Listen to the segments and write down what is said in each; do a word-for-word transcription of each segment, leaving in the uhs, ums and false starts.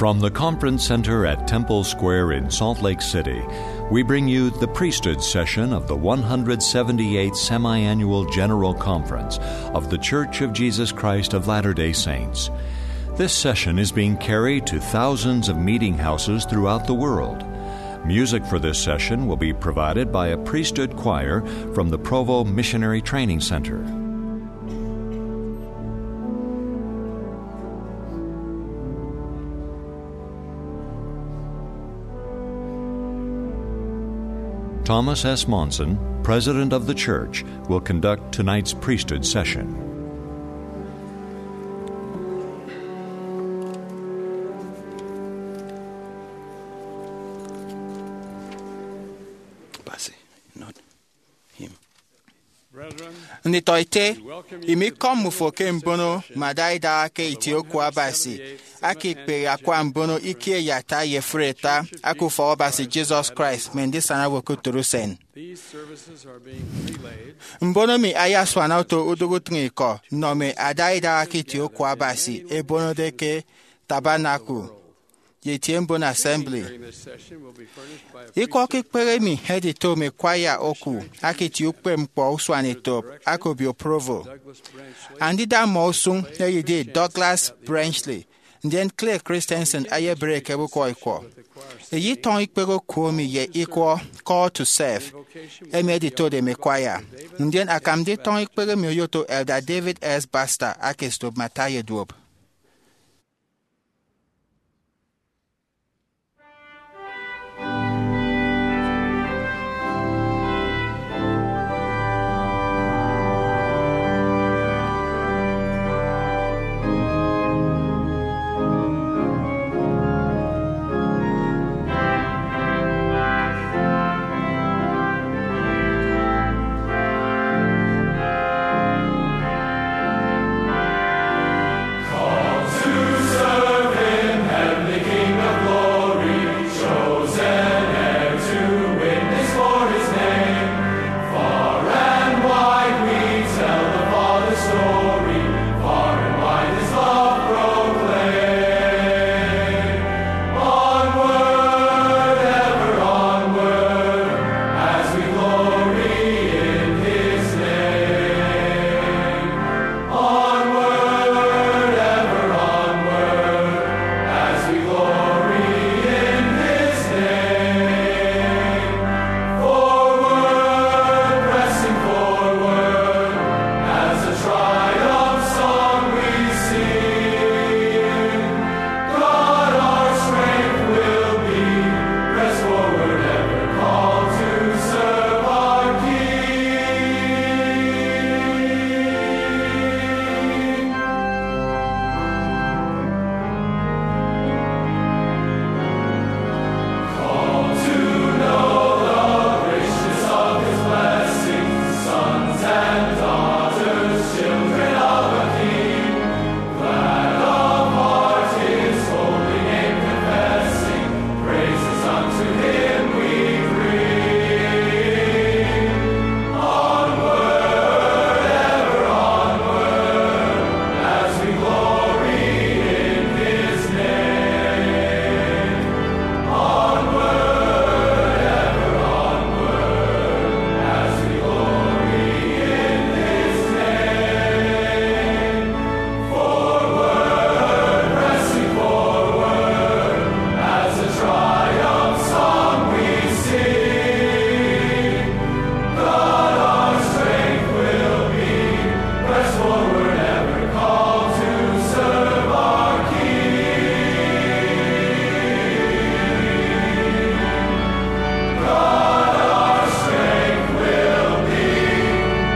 From the Conference Center at Temple Square in Salt Lake City, we bring you the priesthood session of the one hundred seventy-eighth Semi-Annual General Conference of The Church of Jesus Christ of Latter-day Saints. This session is being carried to thousands of meeting houses throughout the world. Music for this session will be provided by a priesthood choir from the Provo Missionary Training Center. Thomas S. Monson, President of the Church, will conduct tonight's priesthood session. Nditọete, imi ikọm mmufo ke mbono mme ada idaha ke itie oku Abasi aka ikpehe akwa mbono ikie ye ata ye efuri ata aka Ufọk Abasi Jesus Christ mme Ndisana Owo ke Utọt Usen. Mbono emi ayasuana oto udụk utịñikọ nnọ mme ada idaha ke itie oku Abasi ebonode ke Tabernacle ye itie mbon Assembly. Ikọ ke ikpehe emi edito mme kwaya oku aka itie ukpepñkpọ usuanetop aka obio Provo. Andida mmọ usụñ eyedi Douglas Brenchley, ndien Clay Christensen ayebịre ekebe ukwọ ikwọ. Eyetọñọ ikpehe oku emi ye ikwọ Call to Serve emi editode mme kwaya, ndien akam nditọñọ ikpehe emi oyoto Elder David S. Baxter aka esop mme ata ye duop. Onward, ever onward, as we glory in his name. Forward, pressing forward, as a triumph song we sing. God our strength will be, press forward ever, called to serve our King. Called to know the richness of his blessing, sons and daughters, children of a King. Glad of heart his holy name confessing, praises unto him we bring. Onward, ever onward, as we glory in his name. Onward, ever onward, as we glory in his name. Forward, pressing forward, as a triumph song we sing. God our strength will be, press forward ever, called to serve our King. God our strength will be,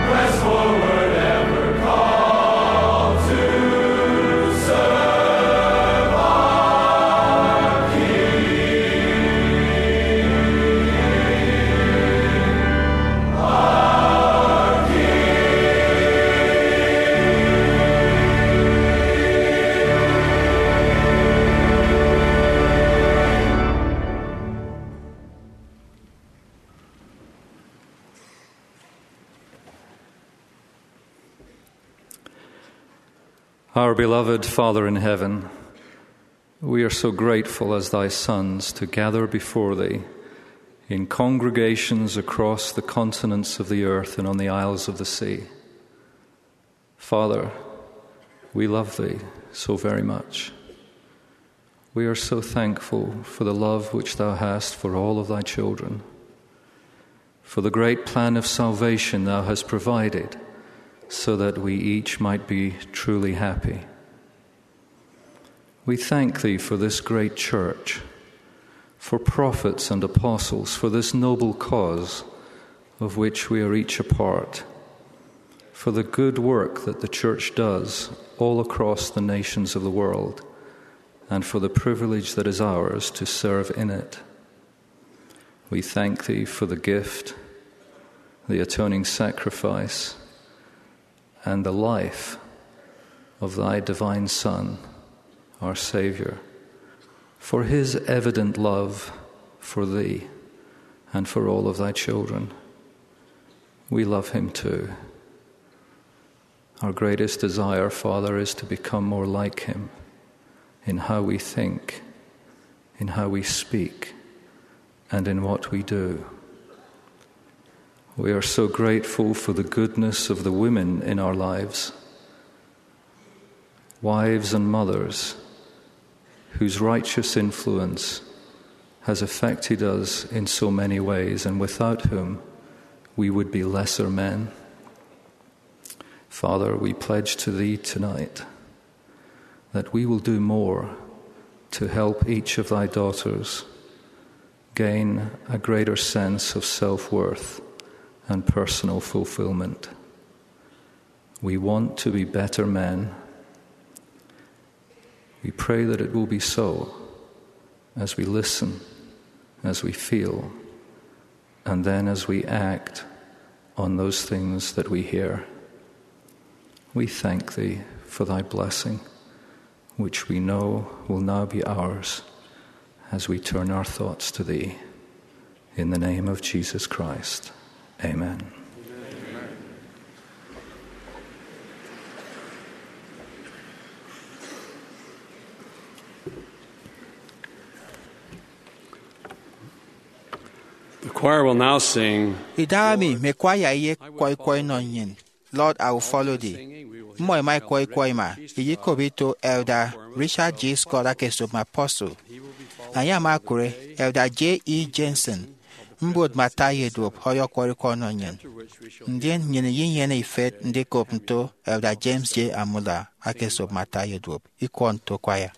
press forward ever, called to serve our King. Our King. Our beloved Father in heaven, We are so grateful as thy sons to gather before thee in congregations across the continents of the earth and on the isles of the sea. Father, we love thee so very much. We are so thankful for the love which thou hast for all of thy children, for the great plan of salvation thou hast provided, so that we each might be truly happy. We thank thee for this great church, for prophets and apostles, for this noble cause of which we are each a part, for the good work that the church does all across the nations of the world, and for the privilege that is ours to serve in it. We thank thee for the gift, the atoning sacrifice, and the life of thy divine Son, our Saviour, for his evident love for thee and for all of thy children. We love him too. Our greatest desire, Father, is to become more like him in how we think, in how we speak, and in what we do. We are so grateful for the goodness of the women in our lives, wives and mothers, whose righteous influence has affected us in so many ways, and without whom we would be lesser men. Father, we pledge to thee tonight that we will do more to help each of thy daughters gain a greater sense of self-worth and personal fulfillment. We want to be better men. We pray that it will be so as we listen, as we feel, and then as we act on those things that we hear. We thank thee for thy blessing, which we know will now be ours as we turn our thoughts to thee. In the name of Jesus Christ, amen. The choir will now sing. Idahaemi mme kwaya eyekkwọ ikwọ inọ nnyịn Lord, I Will Follow Thee. Mmọ ẹma ẹkwọ ikwọ ima, ẹyekop ito Elder Richard G. Scott aka esop mme apostle. Enye ama okụre Elder J. E. Jensen, mbot mme ata ye duop, ọyọkwọrọ ikwọ ọnọ nnyịn. Ndien nnyịn iyenyene ifet ndikop nto Elder James J. Amula aka esop mme ata ye duop, ikwọ nto kwaya.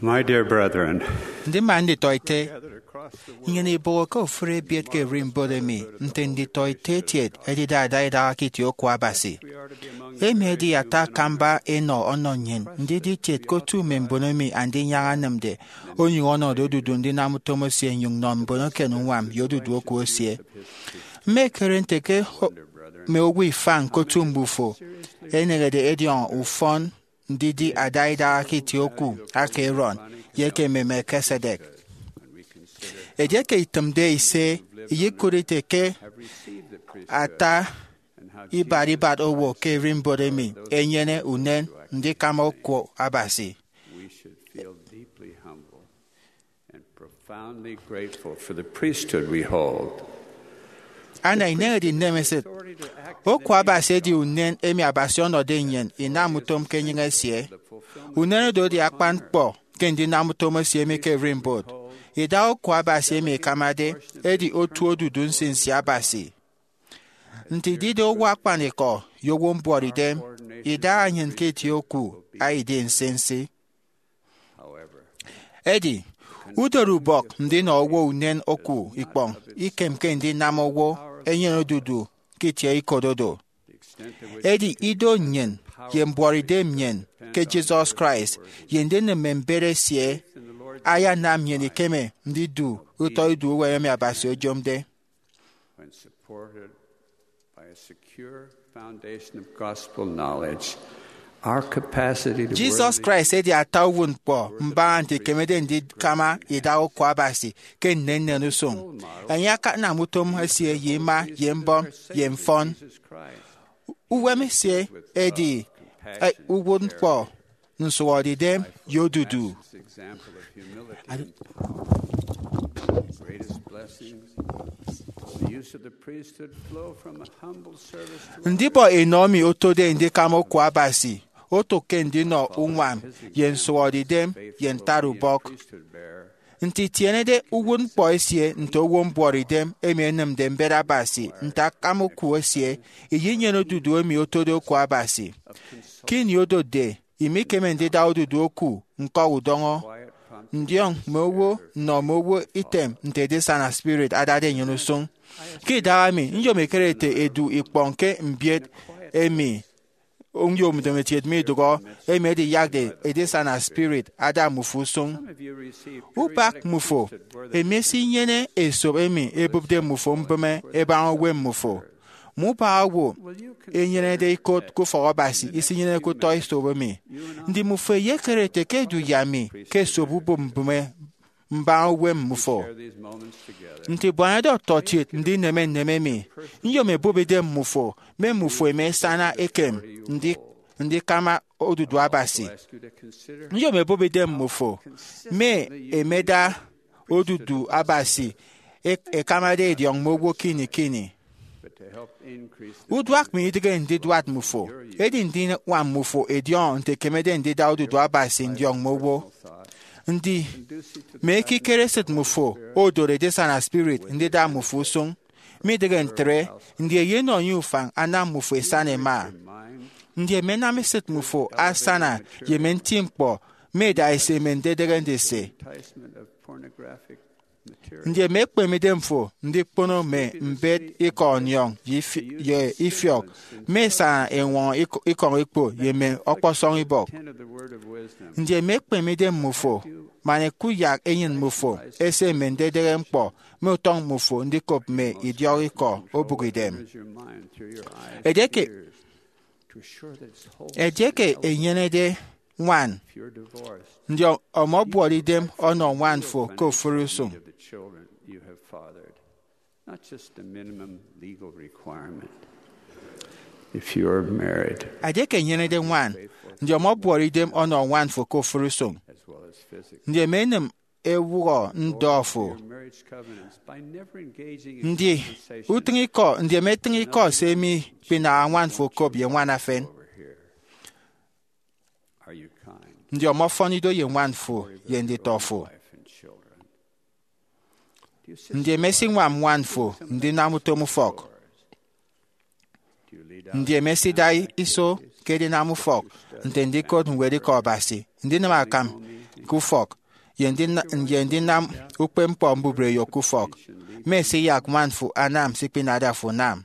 My dear brethren, ndima nditọete, nnyịn ibọhọke ofụri ebiet ke ererimbot emi nte nditọete etiet ẹdide adaidaha ke itie oku Abasi. Emi edi ata akamba enọ ọnọ nnyịn ndidi etiet ke otu mme mbon emi Andinyaña enịmde onyụñ ọnọde odudu ndinam utom esie nnyụñ nnọ mbon eken uñwam ye odudu oku esie. Mma ekere nte ke mme owo ifañ ke otu mbufo ẹneñede ẹdiọñọ ufọn ndidi adaidaha ke itie oku aka Aaron ye eke mme Melchizedek. Edieke itịmde ise, iyekụt ite ke ata ibat ibat owo ke ererimbot emi ẹnyene unen ndikama oku Abasi. We should feel deeply humble and profoundly grateful for the priesthood we hold. Ana ineñede inemesịt. Oku Abasi edi unen emi Abasi ọnọde nnyịn inam utom ke enyịñ esie. Unen oro edi akpan ñkpọ ke ndinam utom esie emi ke ererimbot. Ida oku Abasi emi ikamade edi otu odudu nsinsi Abasi. Nte idide owo akpanikọ ye owo mbuọtidem, idaha nnyịn ke itie oku aidi nsinsi. Edi, udorubọk ndinọ owo unen oku ikpọñ ikemke ndinam owo enyene odudu ke itie ikododo. Edi ido nnyịn ye mbuọtidem nnyịn ke Jesus Christ ye ndinịm mme mbet esie ayanam nnyịn ikeme ndidu utọ ido uwem emi Abasi oyomde. When supported by a secure foundation of gospel knowledge, our capacity to Jesus worthily Christ edi ata uwụtñkpọ mbaña nte ikemede ndikama ida oku Abasi ke nnennen usụñ. Enye akanam utom esie ye ima ye mbọm ye mfọn. Uwem esie edi, eh, uwụtñkpọ, nsụhọdeidem, ye odudu. Ndibọ enọ emi otode ndikama oku Abasi oto ke ndinọ uñwam ye nsụhọdeidem ye ntatubọk. Nte itienede uwụtñkpọ esie nte owo mbuọtidem emi enịmde mbet Abasi nte akama oku esie, iyenyene odudu emi otode oku Abasi. Ke ini odotde, imikeme ndida odudu oku ñkọ udọñọ, ndiọñ mme owo, nnọ mme owo item nte edisana spirit adade enyene usụñ. Ke idahaemi, nyom ekere ete edu ikpọñ ke mbiet emi nyom ndomokiet midụhọ, emi ediyakde edisana spirit ada mmufo usụñ. Ubak mmufo emi esinyene esop emi ebụpde mmufo mbịme ebaña uwem mmufo. Mme ubak owo enyenede ikot ke ufọk Abasi isinyeneke utọ esop emi. Ndi mmufo eyekere ete ke edu ye ami ke esop ubụp mbịme mbaña uwem mmufo? Nte ibuanade ọtọkiet ndineme nneme emi, nyom ebụp idem mmufo, mme mmufo emi ẹsana ekem ndi-, ndikama odudu Abasi. Nyom ebụp idem mmufo, mme emeda odudu Abasi e-, ekamade ediọñ mme owo ke ini ke ini. Uduak mi idịghe ndiduat mmufo, edi ndiñwam mmufo ediọñọ nte ekemede ndida odudu Abasi ndiọñ mme owo. Ndi mme ekikere esịt mmufo odoro edisana spirit ndida mmufo usụñ? Midịghe ntre, ndi eyenọ enye ufañ anam mmufo ẹsana ẹma? Ndi ẹmenam esịt mmufo asana ye mme nti ñkpọ mme idaha ese mme ndedịghe ndise? Ndi eme ekpeme idemfo ndikpono mme mbet ikọ ọniọñ ye ifi-, ye ifiọk mme esaña eñwọñọ ikọ-, ikọñ ekpo ye mme ọkpọsọñ ibọk? Ndi eme ekpeme idem mmufo man ẹkuyak enyịn mmufo ese mme ndedịghe ñkpọ mme utọñ mmufo ndikop mme idiọk ikọ obụk idem? Edieke, edieke enyenede ñwan, ndi ọ-, ọmọbuọt idem ọnọ ñwan fo ke ofụri usụñ? Not just the minimum legal requirement. If you are married, Edieke enyenede ñwan, ndi ọmọbuọt idem ọnọ ñwan fo ke ofụri usụñ? As well as physically. Ndi emenịm ewụhọ ndọ fo? Your marriage covenants by never engaging in Ndi conversation utịñ ikọ, ndi emetịñ ikọ se mikpinaha ñwan fo okop ye ñwan efen? Over here. Are you kind? Ndi ọmọfọn ido ye ñwan fo ye nditọ fo? Wife and children. Ndi emesiñwam ñwan fo ndinam utom ufọk? Ndi emesida iso ke edinam ufọk, nte ndikot ñwedikọ Abasi, ndinịm akam ke ufọk, ye ndina- ye ndinam ukpepñkpọ mbubreyo ke ufọk, mme esiyak ñwan fo anam se ikpinade afo unam.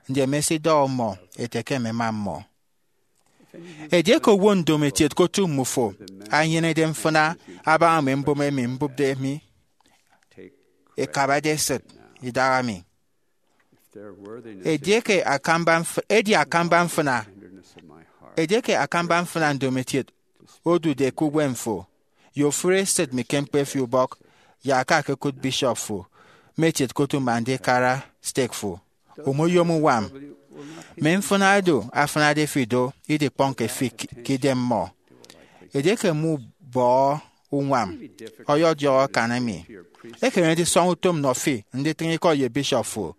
Ndien mme esidọhọ mmọ ete ke mmema mmọ. Edieke owo ndomokiet ke otu mmufo anyenede mfịna abaña mme mbụme emi mbụpde mi, ẹkabade esịt idaha mi. Edieke akamba mf- edi akamba mfịna edieke akamba mfịna ndomokiet odude ke uwem fo, ye ofụri esịt mi ke ñkpọ efi ubọk, yak akakụt bishop fo, mme ekiet ke otu mme andikara stake fo. Omoyom uñwam. Mme mfịna oro afịnade fi do idikpọñke fi k- ke idem mmọ. Edieke mubọhọ uñwam, ọyọdiọk akan emi. Ekeme ndisọñ utom nnọ fi nditịñ ikọ ye bishop fo.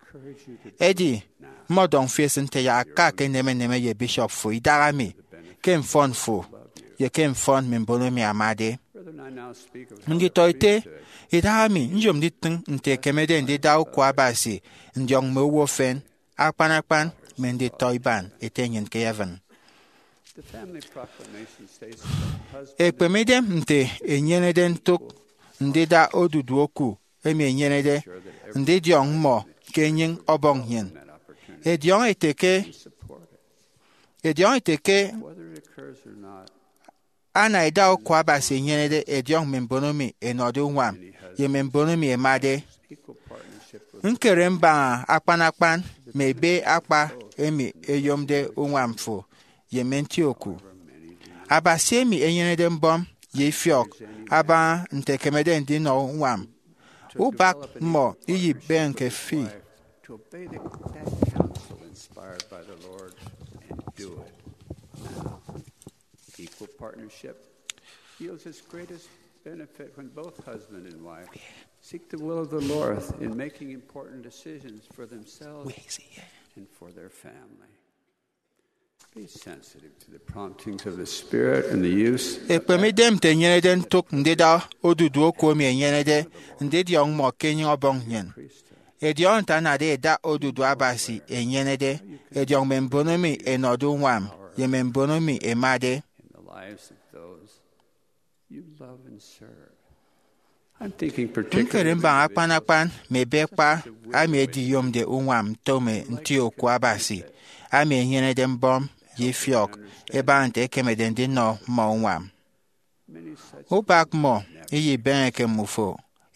Edi, mmọdọñ fi esịn nte yak aka ke eneme eneme ye bishop fo idaha mi, ke mfọn fo, ye ke mfọn mme mbon emi amade. Nditọete, idaha mi nyom nditịñ nte ẹkemede ndida uku Abasi ndiọñ mme owo efen, akpan akpan mme nditọ iban Ete nnyịn ke heaven. Ekpemidem nte enyenede ntụk ndida odudu oku emi enyenede ndidiọñ mmọ ke enyịñ Ọbọñ nnyịn. Ediọñ ete ke ediọñ ete ke ana ida oku Abasi enyenede ediọñ mme mbon emi ẹnọde uñwam ye mme mbon emi ẹmade. Ñkere mbaña akpan akpan mme ebe akpa emi ẹyomde uñwam fo ye mme nti oku Abasi emi enyenede mbọm ye ifiọk abaña nte ẹkemede ndinọ uñwam. Ubak mmọ iyibịghike fi. To obey the, that counsel inspired by the Lord and do it now. Equal partnership yields its greatest benefit when both husband and wife seek the will of the Lord in making important decisions for themselves and for their family. Be sensitive to the promptings of the Spirit and the use of Ekpemidem nte enyenede ntụk ndida odudu oku emi enyenede ndidiọñ mmọ ke enyịñ Ọbọñ nnyịn. Ediọñ nte anade eda odudu Abasi enyenede ediọñ mme mbon emi ẹnọde uñwam ye mme mbon emi ẹmade. In the lives of those you love and serve. I'm thinking particularly Ñkere mbaña akpan akpan mme ebe kpa ami ediyomde uñwam nto mme nti oku Abasi ami enyenede mbọm ye ifiọk ẹbaña nte ẹkemede ndinọ mmọ uñwam. Ubak mmọ iyibịghike mmufo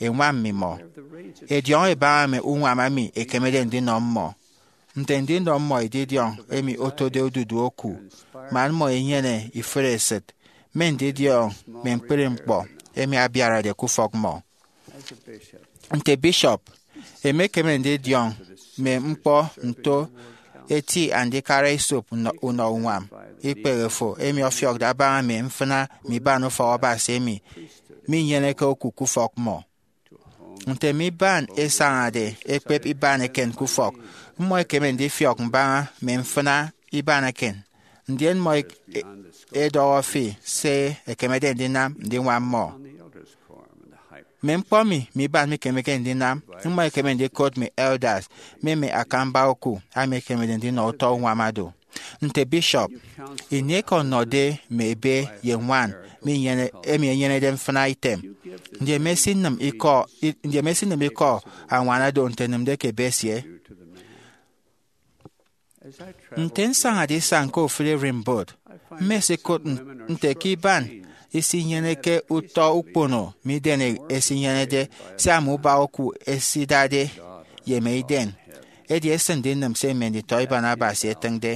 ẹñwam mmimọ. Ediọñ ẹbaña mme uñwam emi ẹkemede ndinọ mmọ, nte ndinọ mmọ edidiọñ emi otode odudu oku, man mmọ ẹnyene ifụre esịt, mme ndidiọñ mme ñkpri ñkpọ emi abiarade ke ufọk mmọ. Nte bishop, emekeme ndidiọñ mme ñkpọ nto eti andikara esop unọ unọ uñwam ikpehe fo emi ọfiọkde abaña mme mfịna mme iban ufọk Abasi emi minyeneke oku ke ufọk mmọ. Nte mme iban ẹsañade ẹkpep iban eken ke ufọk, mmọ ẹkeme ndifiọk mbaña mme mfịna iban eken, ndien mmọ ẹk- e- ẹdọhọ fi se ẹkemede ndinam ndiñwam mmọ. Mme ñkpọ emi mme iban mikemeke ndinam, mmọ ẹkeme ndikot mme elders mme mme akamba oku emi ẹkemede ndinọ utọ uñwam ado. Nte bishop, ini eke ọnọde mme ebe ye ñwan minyene- emi enyenede mfịna item, ndien mesinịm ikọ i- ndien mesinịm ikọ añwana do nte enịmde ke ebe esie. Nte nsañade isañ ke ofụri ererimbot, mmesikụt n- nte ke iban isinyeneke utọ ukpono midien esinyenede sia mme ubak oku ẹsidade ye mme iden, edi esịn ndinịm se mme nditọ iban Abasi ẹtịñde.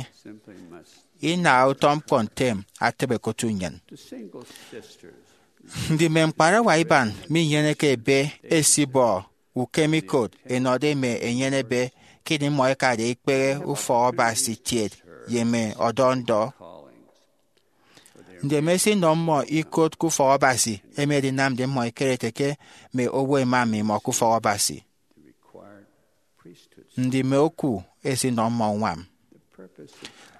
Ina utọ ñkpọ ntem atịbe ke otu nnyịn. Ndi mme ñkparawa iban minyeneke ebe ẹsibọ ukemikot ẹnọde mme ẹnyenebe ke ini mmọ ẹkade ikpehe ufọk Abasi kiet ye mme ọdọ ndọ? Ndi emesinọ mmọ ikot ke ufọk Abasi emi edinamde mmọ ẹkere ẹte ke mme owo ẹma mmimọ ke ufọk Abasi? Ndi mme oku ẹsinọ mmọ uñwam?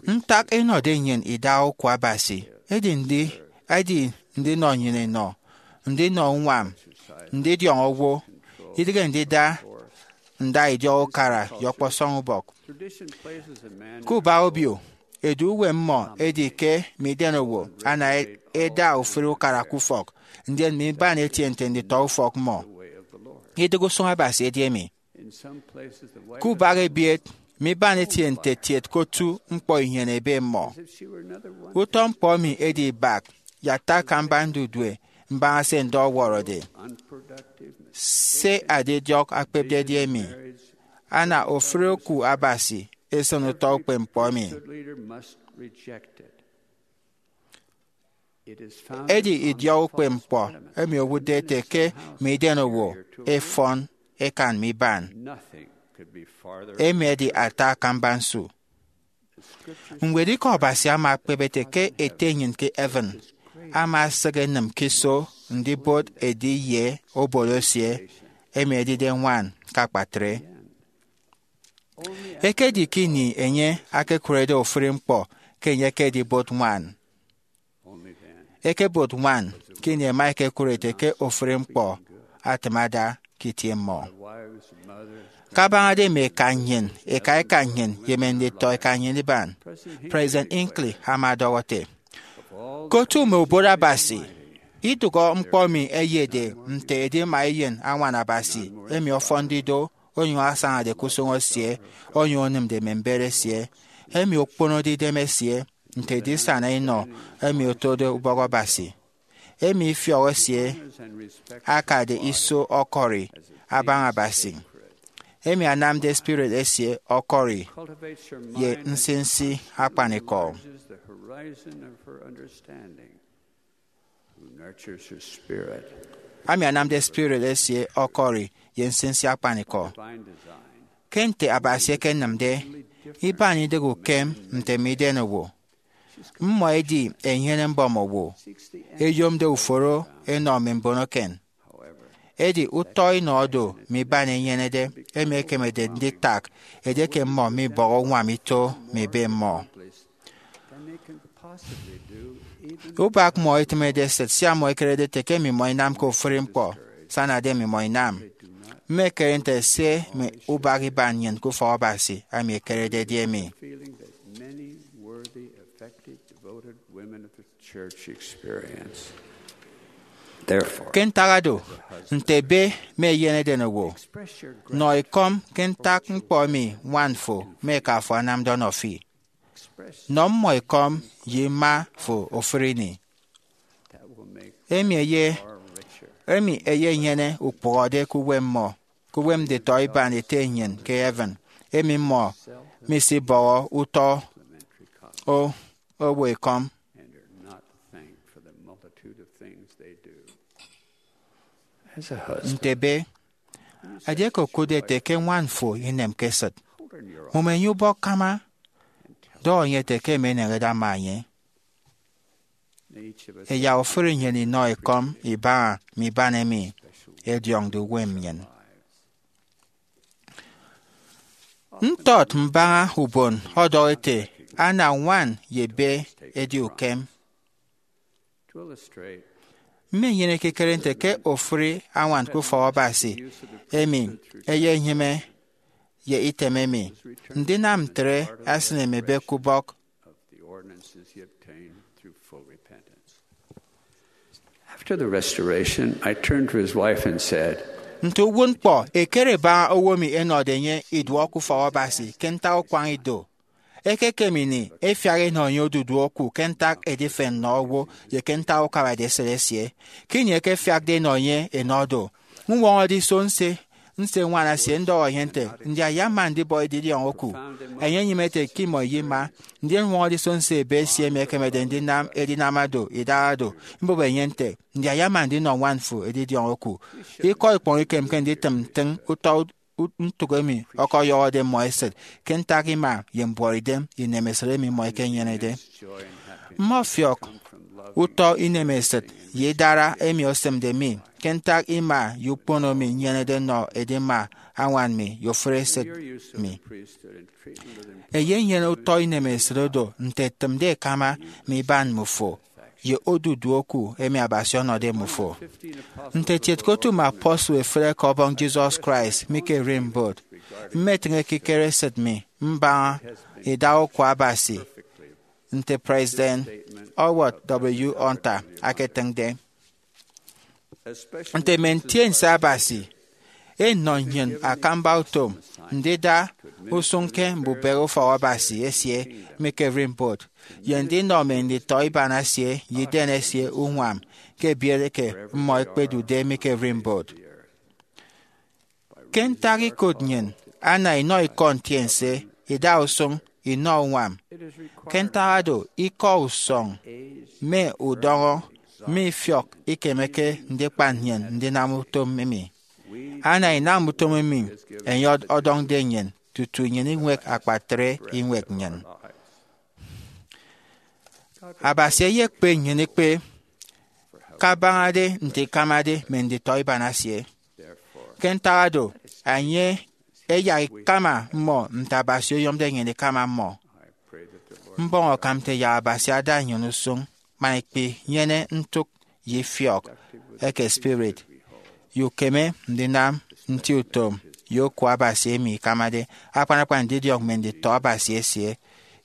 Ntak ẹnọde nnyịn ida oku Abasi edi ndi- edi ndinọ nnyịn inọ, ndinọ uñwam, ndidiọñ owo, idịghe ndida nda idiọk ukara ye ọkpọsọñ ubọk. Ke ubak obio, edu uwem mmọ edi ke midien owo ana e- eda ofụri ukara ke ufọk, ndien mme iban etie nte nditọ ufọk mmọ. Idịghe usụñ Abasi edi emi. Ke ubak ebiet, mme iban etie nte tiet ke otu ñkpọ inyene ebe mmọ. Utọ ñkpọ emi edi ibak ye ata akamba ndudue mbaña se ndọ ọwọrọde. Se adidiọk akpepde edi emi, ana ofụri oku Abasi esịn utọ ukpepñkpọ emi. Edi idiọk ukpepñkpọ emi owụtde ete ke mme idenowo ẹfọn ẹkan mme iban. Emi edi ata akamba nsu. Ñwed Ikọ Abasi ama ekpep ete ke Ete nnyịn ke heaven ama esịk enịm ke iso ndibot edi ye obot esie, emi edide ñwan ke akpatre. Ekedi ke ini enye akekụrede ofụri ñkpọ ke enye ekedibot ñwan. Ekebot ñwan ke ini ẹma ẹkekụre ẹte ke ofụri ñkpọ atịm ada ke itie mmọ. Kabañade mme eka nnyịn, eka eka nnyịn, ye mme nditọ eka nnyịn iban, President Hinckley ama ọdọhọ ete, ke otu mme ubot Abasi, idụhọ ñkpọ emi eyede nte edima eyen añwan Abasi emi ọfọnde ido onyụñ asañade ke usụñ esie, onyụñ onịmde mme mbet esie, emi okponode idem esie nte edisana inọ emi otode ubọk Abasi, emi ifiọk esie akade iso ọkọri abaña Abasi, emi anamde spirit esie ọkọri ye nsinsi akpanikọ. Ami anamde spirit esie ọkọri ye nsinsi akpanikọ. Ke nte Abasi ekenịmde, iban idịghe ukem nte mme idenowo. Mmọ ẹdi ẹnyene mbọm owo, ẹyomde uforo ẹnọ mme mbon eken. Edi utọ inọ do mme iban ẹnyenede, emi ẹkemede nditak edieke mmọ mibọhọ uñwam ito mme ebe mmọ. Ubak mmọ etịmede esịt sia mmọ ẹkerede ẹte ke mmimọ inamke ofụri ñkpọ ẹsanade mmimọ inam. Mmekere nte se mme ubak iban nnyịn ke ufọk Abasi emi ekerede edi emi. Ke ntak oro, nte ebe mme eyen edenowo, nọ ekọm ke ntak ñkpọ emi ñwan fo mme eka fo anamde ọnọ fi. Nọ mmọ ekọm ye ima fo ofụri ini. Emi eye emi eyenyene ukpụhọde ke uwem mmọ, ke uwem nditọ iban Ete nnyịn ke heaven, emi mmọ misibọhọ utọ o- owo ekọm. Nte ebe, edieke okụtde ete ke ñwan fo inemke esịt, mụm enye ubọk kama, dọhọ enye ete ke emi eneñede ama enye. Ẹyak ofụri nnyịn inọ ekọm ibaña mme iban emi ẹdiọñde uwem nnyịn. Ntọt mbaña ubon ọdọhọ ete, ana ñwan ye ebe edi ukem. Mmenyene ekikere nte ke ofụri añwan ke ufọk Abasi emi eyenyịme ye item emi. Ndinam ntre asịne mme ebe ke ubọk. After the restoration, I turned to his wife and said, Nte uwụtñkpọ, ekere ẹbaña owo emi ẹnọde enye iduọ ke ufọk Abasi ke ntak ukwañ ido. Ekekem ini, ẹfiak ẹnọ enye odudu oku ke ntak edifen nnọ owo ye ke ntak ukabade esịt esie. Ke ini ẹkefiakde ẹnọ enye ẹnọ do, ñwọñọde iso nse nse ñwan esie ndọhọ enye nte, Ndi ayama ndibọ edidiọñ oku? Enye enyịme ete ke imọ iyema. Ndien ñwọñọde iso nse ebe esie emi ekemede ndinam edinam do idaha do, mbọbọ enye nte, Ndi ayama ndinọ ñwan fo edidiọñ oku? Ikọ ikpọñ ikemke nditịm ntịñ utọ ut- ntụk emi ọkọyọhọde mmọ esịt ke ntak ima ye mbuọtidem ye inemesịt emi mmọ ẹkenyenede. Mmọfiọk utọ inemesịt ye idara emi osịmde mi ke ntak ima ye ukpono mi nyenede nnọ edima añwan mi ye ofụri esịt mi. Eyenyene utọ inemesịt oro nte ẹtịmde ẹkama mme iban mmufo ye odudu oku emi Abasi ọnọde mmufo. Nte etiet ke otu mme apostle efịre ke Ọbọñ Jesus Christ mi ke Erinbot, mmetịñ ekikere esịt mi mbaña idaha oku Abasi nte President Howard W. Hunter aketịñde. Nte Mme Ntiense Abasi, enọ nnyịn akamba utom ndida usụñ ke mbubehe ufọk Abasi esie mi ke Rimbaud, ye ndinọ mme nditọiban esie ye iden esie uñwam ke ebiere ke mmọ ẹkpedude mi ke Rimbaud. Ke ntak ikụt nnyịn ana inọ ikọ ntiense, ida usụñ, inọ uñwam. Ke ntak oro, ikọ usọñ mme udọñọ mme ifiọk ikemeke ndikpan nnyịn ndinam utom emi. Ana inam utom emi enye ọdọñde nnyịn tutu nnyịn iñwek akpatre iñwek nnyịn. Abasi eyekpe nnyịn ikpe kabañade nte ikamade mme nditọiban esie. Ke ntak oro, enye eyak ikama mmọ nte Abasi oyomde nnyịn ikama mmọ. Mbọñ akam nte yak Abasi ada nnyịn usụñ man ikpinyene ntụk ye ifiọk eke spirit, ye ukeme ndinam nti utom ye oku Abasi emi ikamade akpan akpan ndidiọñ mme nditọ Abasi esie,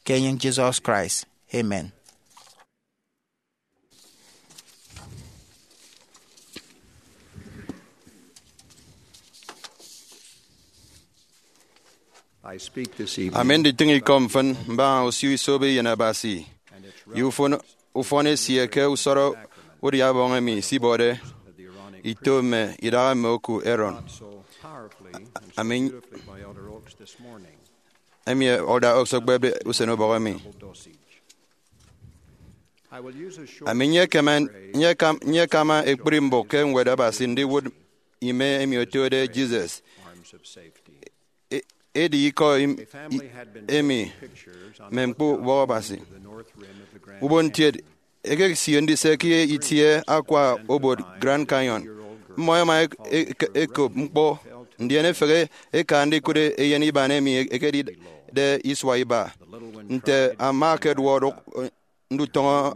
ke enyịñ Jesus Christ. Amen. Ami nditịñ ikọ mfịn mbaña osio isobo Eyen Abasi ye ufọn, ufọn esie ke usọrọ udia ọbọñ emi isibọde ito mme idaha mme oku Aaron. Ami, emi Elder Oaks ekpepde usen ubọk emi. Ami nyekama, nyekam-, nyekama ekpri mbụk ke Ñwed Abasi ndiwụt ime emi otode Jesus. E-, edi ikọ im-, i-, emi mme ñkpọ ubọk Abasi. Ubon ntiet, ekesie ndise ke itie akwa obot Grand Canyon. Mmọ ẹma ek-, ek-, ẹkop ñkpọ, ndien ẹfehe ẹka ndikụt eyen iban emi ekedide isua iba. Nte ama akeduọ odụk ndutọñọ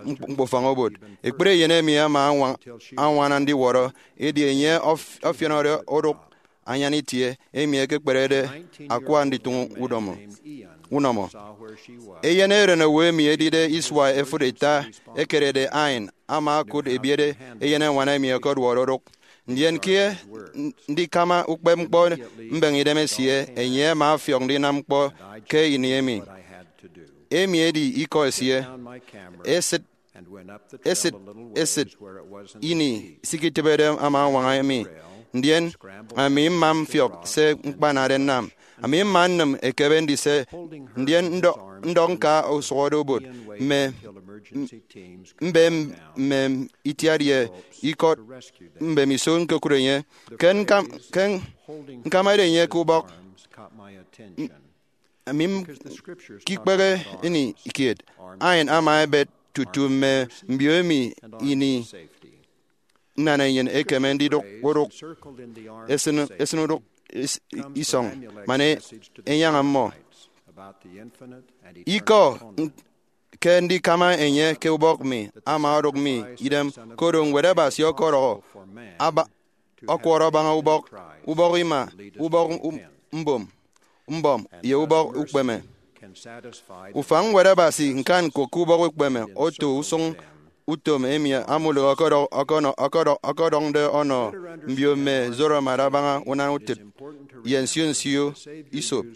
ñkp-, ñkpọfañ obot. Ekpri eyen emi ama añwa-, añwana ndiwọrọ, edi enye ọf-, ọfiọnọde odụk anyan itie emi ekekperede akwa nditụñ udomo, unọmọ. Eyen erenowo emi edide isua efụt ita ekerede Ain ama okụt ebiet eyen eñwan emi ọkọduọde odụk. Ndien ke n-, ndikama ukpepñkpọ mbeñe idem esie, enye ama ọfiọk ndinam ñkpọ ke ini emi. Emi edi ikọ esie. Esịt, esịt, esịt ini sikitịbede ama añwaña mi, ndien ami mma mfiọk se ñkpanade nnam. Ami mma nnịm ekebe ndise, ndien ndọ-, ndọk ñka usụhọde obot mme, m-, mbe mme itiat ye ikọt mbemiso ñkokụt enye. Ke ñkam-, ke ñkamade enye ke ubọk, m-, ami m-, ke ikpehe ini kiet, Ain ama ebet tutu mme mbio emi ini nnanenyịn ekeme ndidụk odụk, esịn, esịn odụk is-, isọñ, man e-, enyaña mmọ. Ikọ n-, ke ndikama enye ke ubọk mi ama odụk mi idem, koro Ñwed Abasi ọkọdọhọ aba-, ọkwọrọ abaña ubọk, ubọk ima, ubọk u-, mbom, mbọm, ye ubọk ukpeme. Ufan Ñwed Abasi ñkan ñko ke ubọk ukpeme oto usụñ utom emi Amulek ọkọdọ-, ọkọnọ-, ọkọdọ-, ọkọdọñde ọnọ mbio mme Zoramad abaña unan utịt ye nsio nsio isop.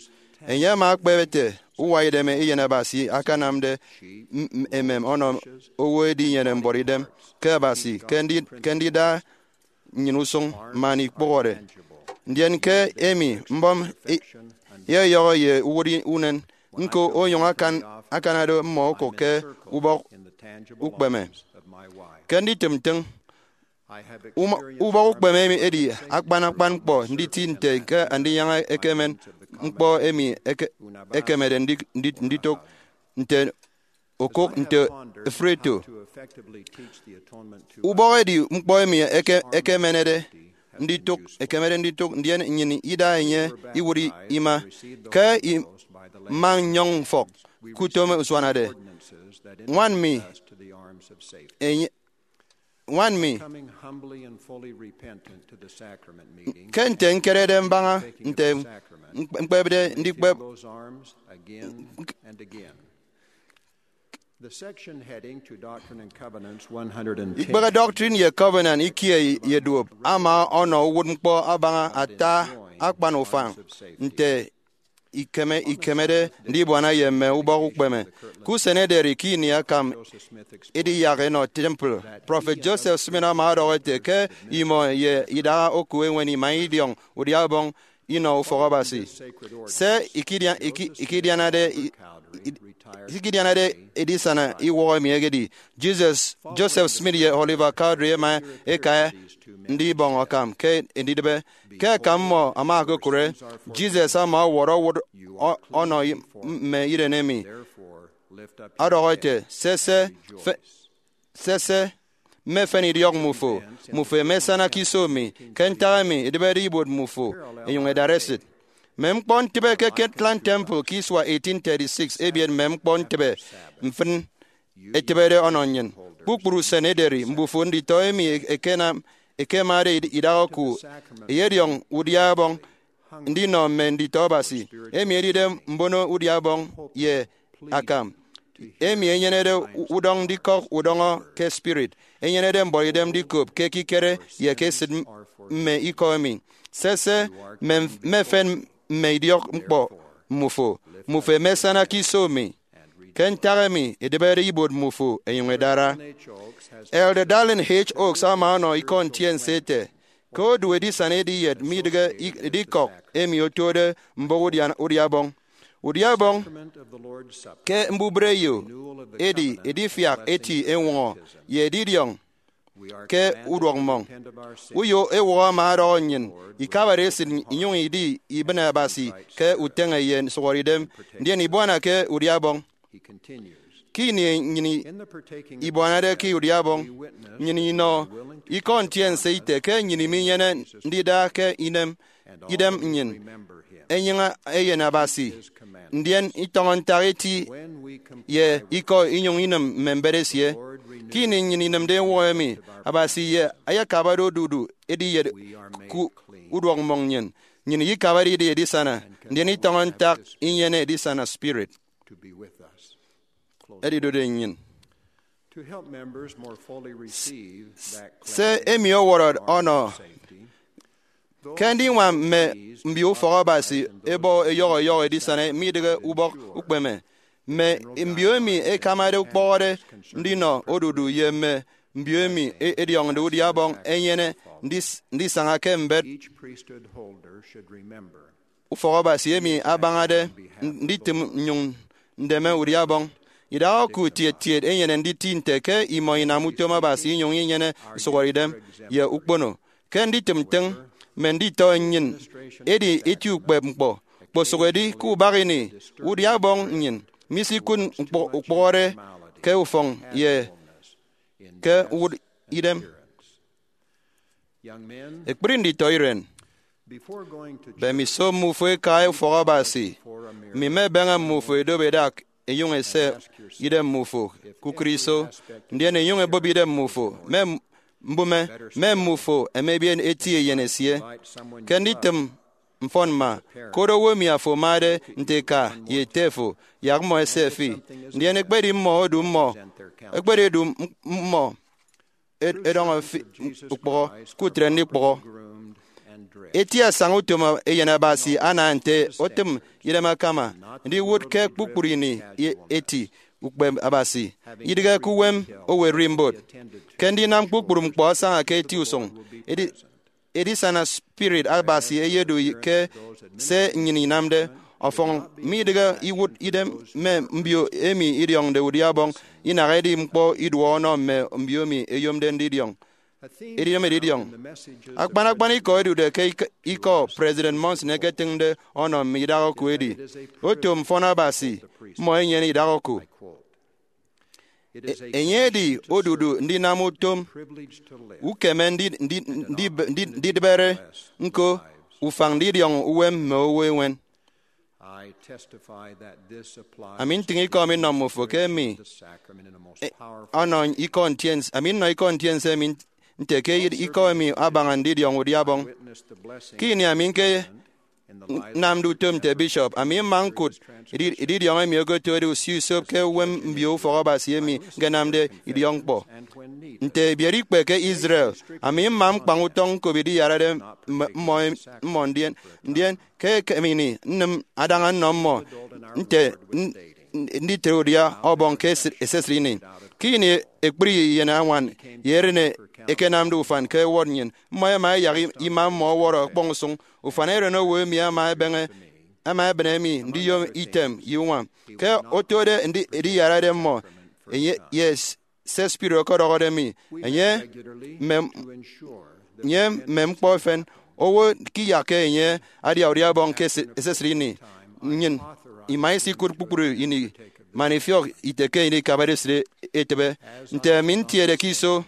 Enye ama ekpep ete, uwa idem Eyen Abasi akanamde m-, m-, emem ọnọ owo edinyene mbuọtidem ke Abasi ke ndi-, ke ndida nnyịn usụñ man ikpụhọde. Ndien ke emi mbọm e-, eyeyọhọ ye uwụt unen, ñko onyụñ akan-, akanade mmọ okụk ke ubọk ukpeme. Ke nditịm ntịñ, uma-, ubọk ukpeme emi edi akpan akpan ñkpọ nditi nte ke Andinyaña ekemen ñkpọ emi eke-, ekemede ndi-, ndi-, nditụk nte okụk nte efreto. Ubọk edi ñkpọ emi eke-, ekemenede nditụk, ekemede nditụk, ndien nnyịn ida enye iwụt ima. Ke i-, mma nnyọñ mfọk ke utom usuanade, ñwan mi, enye, ñwan mi, ke nte ñkerede mbaña nte ñkp-, ñkpepde ndikpep, The section heading to Doctrine and Covenants one hundred ten. Ikpehe Doctrine ye Covenant ikie ye duop ama ọnọ uwụtñkpọ abaña ata akpan ufañ nte ikeme ikemede ndibuana ye mme ubọk ukpeme. Ke usen ederi ke ini akam ediyak enọ temple, Prọfet Joseph Smith ama ọdọhọ ete ke imọ ye idaha oku eñwen ima idiọñ udia ubọñ inọ ufọk Abasi. Se ikidia- iki- ikidianade i- i- ikidianade edisana iwọhọ emi egedi Jesus, Joseph Smith ye Oliver Cowdery ema eka ndibọñ akam ke ndidịbe. Ke akam mmọ ama okokụre, Jesus ama ọwọrọ owụt ọ- ọnọ i- mme iren emi, ọdọhọ ete, sese, fe- sese, mme efen idiọk mmufo, mmufo emesana ke iso mi, ke ntak emi edịbede ibuot mmufo enyụñ edara esịt. Mme ñkpọ ntịbe ke Kirtland Temple ke isua eighteen thirty-six ebiet mme ñkpọ ntịbe mfịn etịbede ọnọ nnyịn. Kpukpru usen ederi, mbufo nditọ emi ekenam ekemade id- idaha oku eyediọñ udia ubọñ ndinọ mme nditọ Abasi, emi edide mbono udia ubọñ ye akam, emi enyenede udọñ ndikọk udọñọ ke spirit, enyenede mbuọtidem ndikop ke ekikere ye ke esịt mme ikọ emi. Sese, mme mme efen mme idiọk ñkpọ mmufo, mmufo emesana ke iso mi, ke ntak emi edịbede ibuot mmufo enyụñ edara. Elder Dallin H. Oaks ama ọnọ ikọ ntiense ete ke odu edisana ediyet midịghe i- idikọk emi otode mbụk udia- udiabọñ. Udiabọñ ke mbubreyo edi edifiak eti eñwọñọ ye edidiọñ ke uduọkmọñ. Uyo ewọhọ ama ọdọhọ nnyịn ikabare esịt inyụñ idi ibịne Abasi ke uteñe ye nsụhọre idem, ndien ibuana ke udiabọñ. Ke ini nnyịn ibuanade ke udiabọñ, nnyịn inọ ikọ ntiense ite ke nnyịn minyene ndida ke inem idem nnyịn enyịñ eyen Abasi, ndien itọñọ ntak eti ye ikọ inyụñ inịm mme mbet esie. Ke ini nnyịn inịmde ewọhọ emi, Abasi ye ayakabade odudu ediyet ke uduọkmọñ nnyịn, nnyịn ikabade idi edisana, ndien itọñọ ntak inyene edisana spirit edidode nnyịn. To help members more fully receive that se emi ọwọrọ ọnọ ke ndiñwam mme mbio ufọk Abasi ebọ eyọhọ eyọhọ edisana midịghe ubọk ukpeme. Mme mbio emi ẹkamade ukpọhọde ndinọ odudu ye mme mbio emi e- ẹdiọñde udia ubọñ ẹnyene ndis- ndisaña ke mbet Each priesthood holder should remember ufọk Abasi emi abañade nditịm nnyụñ ndeme udia ubọñ. Idaha oku tiet tiet enyene nditi nte ke imọ inam utom Abasi inyụñ inyene nsụhọre idem ye ukpono. Ke nditịm ntịñ mme nditọ nnyịn edi eti ukpepñkpọ, kposụk edi ke ubak ini udia ubọñ nnyịn misikụt ñkpọ- ukpọhọde ke ufọñ ye ke uwụt idem. Ekpri nditọ iren, bemiso mmufo eka ufọk Abasi, mi mmebeñe mmufo edop edak enyụñ ese idem mmufo kukụre iso, ndien enyụñ ebop idem mmufo mme mbụme, mme mmufo ẹmebiet eti eyen esie. Ke nditịm mfọn mma, kod owo emi afo amade nte eka ye ete fo, yak mmọ ese fi. Ndien ekpedi mmọ odu mmọ, ekpedi edu mmọ ed- edọñọ fi ukpọhọ, kutre ndikpọhọ. Eti asaña utom eyen Abasi ana nte otịm idem akama ndiwụt ke kpukpru ini eti ukpep Abasi, idịghe ke uwem owo ererimbot. Ke ndinam kpukpru ñkpọ asaña ke eti usụñ, edi- edisana spirit Abasi eyedu ke se nnyịn inamde. Ọfọñ midịghe iwụt idem mme mbio emi idiọñde udia ubọñ, inaha edi ñkpọ iduọ ọnọ mme mbio emi eyomde ndidiọñ edidem edidiọñ. Akpan akpan ikọ ẹdude ke ik- ikọ President Monson eketịñde ọnọ mme idaha oku edi, oto mfọn Abasi, mmọ ẹnyene idaha oku. E- enye edi odudu ndinam utom ukeme ndi- ndi- ndi- ndi- ndidịbere ñko ufañ ndidiọñ uwem mme owo eñwen. Ami ntịñ ikọ mi nnọ mmufo ke emi ọnọ ikọ ntiense, ami nnọ ikọ ntiense emi nte ke ikọ emi abaña ndidiọñ udia ubọñ. Ke ini ami nke nnamde utom nte bishop, ami mma ñkụt edidiọñ emi okotode usio isop ke uwem mbio ufọk Abasi emi ñkenamde idiọkñkpọ. Nte ebiet ikpe ke Israel, ami mma mkpañ utọñ ñkop ediyarade mmọ, ndien, ndien ke ekem ini nnịm adaña nnọ mmọ nte nditre udia Ọbọñ ke esisịt ini. Ke ini ekpri iyen añwan ye eren ẹkenamde ufan ke ẹwọt nnyịn, mmọ ẹma ẹyak ima mmọ ọwọrọ ọkpọñ usụñ. Ufan erenowo emi ama ebeñe, ama ebịne mi ndiyom item ye uñwam. Ke otode ediyarade mmọ, enye, ye se spirit ọkọdọhọde mi, enye mme, enye mme ñkpọ efen owo ke iyakke enye adia udia Ọbọñ ke esisịt ini. Nnyịn ima isikụt kpukpru ini man ifiọk ite ke ini ikabade esịt etịbe. Nte ami ntiede ke iso,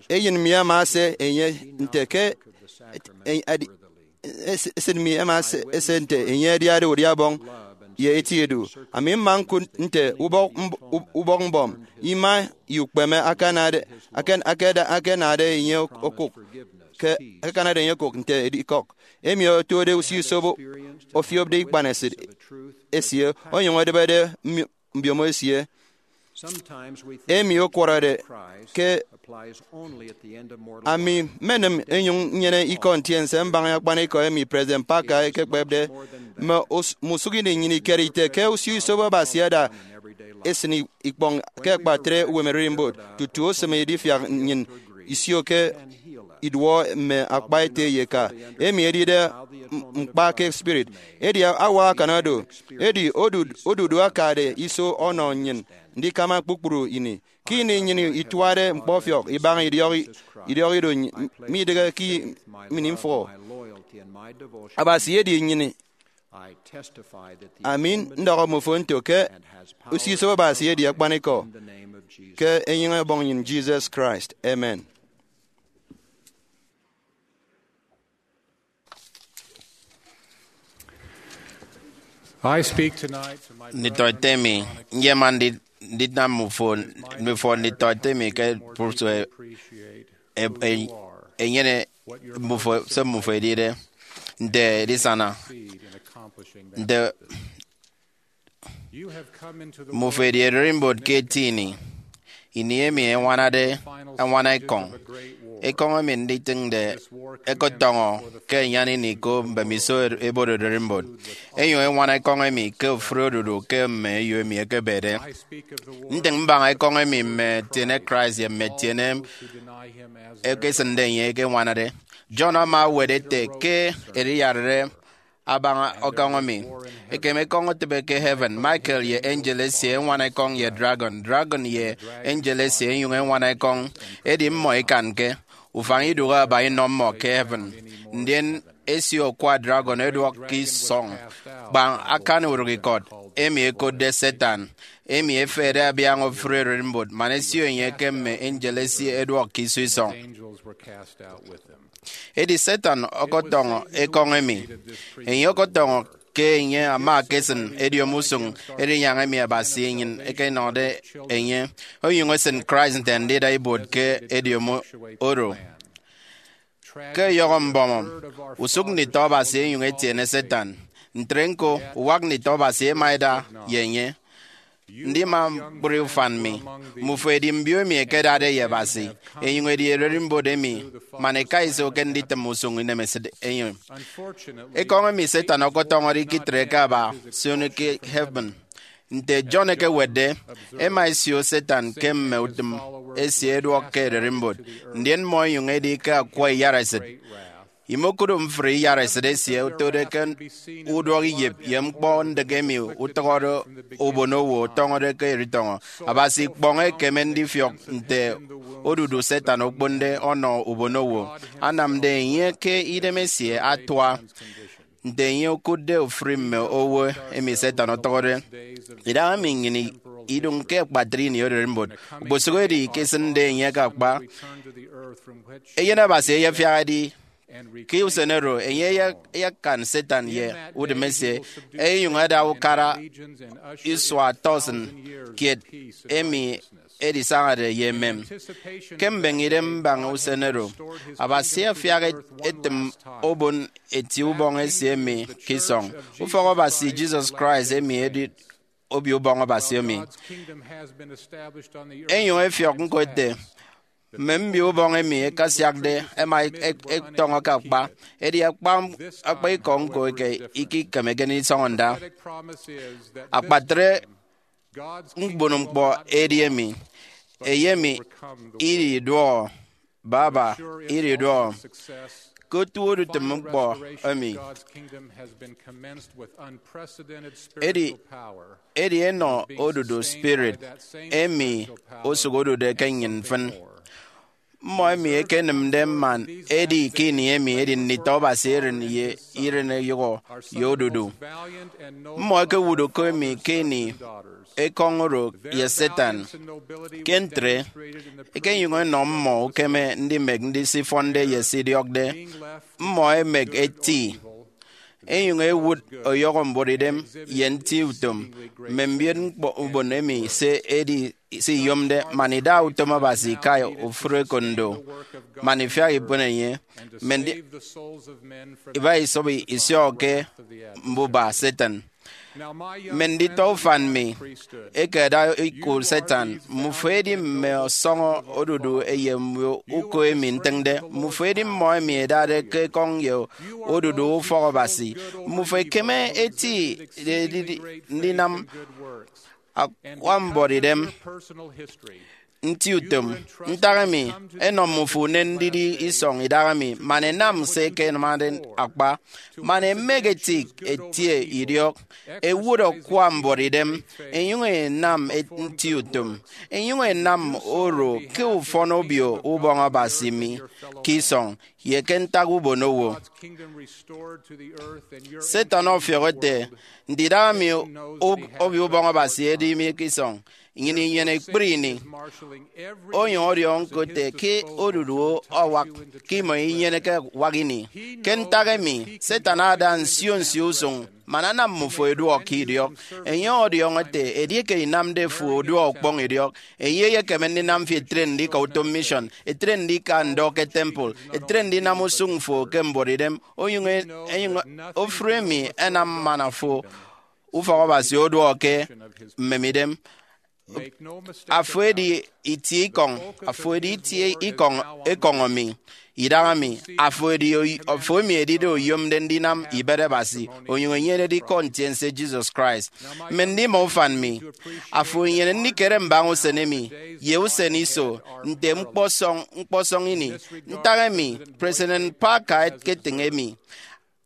eyen mi ama ase enye nte ke esit mi ama ese nte enye adiade udia Ọbọñ ye eti edu. Ami mma ñkụt nte ubọk mbọm, ima ye ukpeme akanade, akanade enye okụk, ke akanade enye okụk nte edikọk emi otode usio isobo ofiopde ikpanesịt esie onyụñ edịbede mbiomo esie emi ọkwọrọde ke ami mmenịm enyụñ nnyene ikọ ntiense mbaña akpanikọ emi President Parker ekekpepde. Mme usụk ini nnyịn ikere ite ke usio isobo Abasi ada esịn ikpọñ ke akpatre uwem ererimbot tutu osịm edifiak nnyịn isio ke iduọ mme akpa ete ye eka emi edide ñkpa ke spirit. Edi awak akan do, edi odudu akade iso ọnọ nnyịn ndikama kpukpru ini. Ke ini nnyịn ituade ñkpọfiọk ibaña idiọk ido, midịghe ke imịn mfụhọ. Abasi edi nnyịn. Ami ndọhọ mmofo nto ke usio isobo Abasi edi akpanikọ ke enyịñ Ọbọñ nnyịn Jesus Christ. Amen. I speak tonight to my nditọete mi, nyema ndinam mmufo nditọete mi ke Brussels enyene mmufo se mmufo edide nte edisana nte mmufo edi ererimbot ke eti ini. Ini emi eñwanade eñwana ekọñ, ekọñ emi nditịñde ẹkọtọñọ ke enyan ini ko mbemiso ebot ererimbot, enyụñ eñwana ekọñ emi ke ofụri odudu ke mme eyo emi ẹkebede. Ntịñ mbaña ekọñ emi mme ẹtiene Christ ye mme ẹtiene ẹkesịnde enye ẹkeñwanade. John ama ewet ete ke ediyarade abaña ekọñ emi, ekem ekọñ etịbe ke heaven, Michael ye angel esie ẹñwana ekọñ ye dragon, dragon ye angel esie ẹnyụñ ẹñwana ekọñ, edi mmọ ikanke. Ufañ idụhe aba inọ mmọ ke heaven, ndien esio akwa dragon ẹduọk ke isọñ, kpa akan urụkikọt, emi ẹkotde Satan, emi efehede abiaña ofụri ererimbot, man esio enye ke mme angel esie ẹduọk ke iso isọñ. Edi Satan ọkọtọñọ ekọñ emi. Enye ọkọtọñọ ke enye ama akesịn ediomi usụñ erinyaña emi Abasi enyịn ekenọde enye, onyụñ esịn Christ nte andida ibuot ke ediomi oro. Ke ọyọhọ mbọm, usụk nditọ Abasi enyụñ etiene Satan. Ntre ñko, uwak nditọ Abasi ẹma ẹda ye enye. Ndima ñkpri ufan mi, mmufo edi mbio emi ẹkedade ye Abasi, enyụñ edi ererimbot emi, man ẹka iso ke nditịm usụñ inemesịt enye. Ekọñ emi Satan ọkọtọñọde ikitreke aba sioño ke heaven. Nte John ekewetde, ẹma ẹsio Satan ke mme utịm esie ẹduọk ke ererimbot, ndien mmọ ẹnyụñ ẹdi ke akwa iyaresịt. Imokụt mfri iyaresịt esie otode ke uduọk iyịp ye ñkpọ ndịk emi utọñọde ubonowo ọtọñọde ke eritọñọ. Abasi ikpọñ ekeme ndifiọk nte odudu Satan okponde ọnọ ubonowo, anamde enye ke idemesie atua nte enye okụtde ofụri mme owo emi Satan ọtọñọde. Idahaemi nnyịn idụñ ke akpatre ini ererimbot. Okposụkedi ikesịnde enye ke akpa, Eyen Abasi eyefiak edi ke usen oro enye eyekan Satan ye udịm esie, ẹnyụñ ẹda ukara isua tọsịn kiet emi edisañade ye emem. Ke mbeñe idem mbaña usen oro, Abasi afiak et- etịm obon eti ubọñ esie emi ke isọñ. Ufọk Abasi Jesus Christ emi edi Obio Ubọñ Abasi emi. Enyụñ efiọk ñko ete, mme mbio ubọñ emi ẹkasiakde ẹma ẹk- ẹk- ẹtọñọ ke akpa, edi akpa, akpa ikọ ñko eke ikikemeke ndisọñọ nda. Akpatre mbon ñkpọ edi emi, eyemi ididuọ, baba ididuọ. Ke otu udutịm ñkpọ emi, edi, edi enọ odudu spirit emi osụk odude ke nnyịn mfịn. Mmọ emi ẹkenịmde man ẹdi ke ini emi edi nditọ Abasi eren ye iren eyụhọ ye odudu. Mmọ ẹkewụt uko emi ke ini ekọñ oro ye Satan. Ke ntre, ẹkenyụñ ẹnọ mmọ ukeme ndimek ndisifọnde ye se idiọkde. Mmọ ẹmek eti, ẹnyụñ ẹwụt ọyọhọ mbuọtidem ye nti utom mme mbioñkpọ ubon emi se edi se iyomde, man ida utom Abasi ika ofụri ekondo, man ifiak ikpon enye, mme ndi- iba isọbọ isio ke mbuba Satan. Mme nditọ ufan mi eke ẹda ikọ Satan, mmufo edi mme ọsọñọ odudu ye mme uko emi ntịñde. Mmufo edi mmọ emi ẹdade ke ekọñ ye odudu ufọk Abasi. Mmufo ẹkeme eti edidi ndinam akwa mbuọtidem, nti utom. Ntak emi ẹnọ mmufo unen ndidi isọñ idahaemi, man ẹnam se ẹkenamde akpa, man ẹmek ẹtik ẹtie idiọk, ẹwụt akwa mbuọtidem, ẹnyụñ ẹnam nti utom, ẹnyụñ ẹnam oro ke ufọn Obio Ubọñ Abasi mi ke isọñ ye ke ntak ubonowo. Satan ọfiọk ete, ndidara mi, Obio Ubọñ Abasi edi mi ke isọñ, nnyịn inyene ekpri ini. Onyụñ ọdiọñọ ñko ete ke odudu awak ke imọ inyeneke awak ini. Ke ntak emi, Satan ada nsio nsio usụñ man anam mmufo ẹduọk ke idiọk. Enye ọdiọñọ ete, edieke inamde fo uduak ukpọñ idiọk, enye eyekeme ndinam fi etre ndika utom mission, etre ndika ndọ ke temple, etre ndinam usụñ fo ke mbuọtidem, onyụñ e- enyụñ ofụri emi ẹnam man afo ufọk Abasi oduọk ke mmemidem. Afo edi itie ikọñ, afo edi itie ikọñ ekọñ mi, idaha mi, afo edi oy- afo emi edide oyomde ndinam ibet Abasi, onyụñ enyenede ikọ ntiense Jesus Christ. Mme ndima ufan mi, afo enyene ndikere mbaña usen emi ye usen iso nte ñkpọsọñ ñkpọsọñ ini. Ntak emi President Parker eketịñ emi,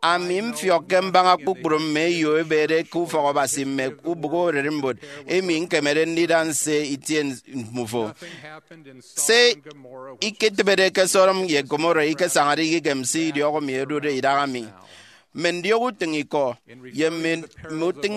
ami mfiọkke mbaña kpukpru mme eyo ẹbede ke ufọk Abasi mme ubụk ererimbot emi ñkemede ndida nse itie mmufo. Se iketịbede ke Sodom ye Gomorrah ikesañade ikem se idiọk mi odude idaha mi. Mme ndiọk utịñ ikọ ye mme, mme utịñ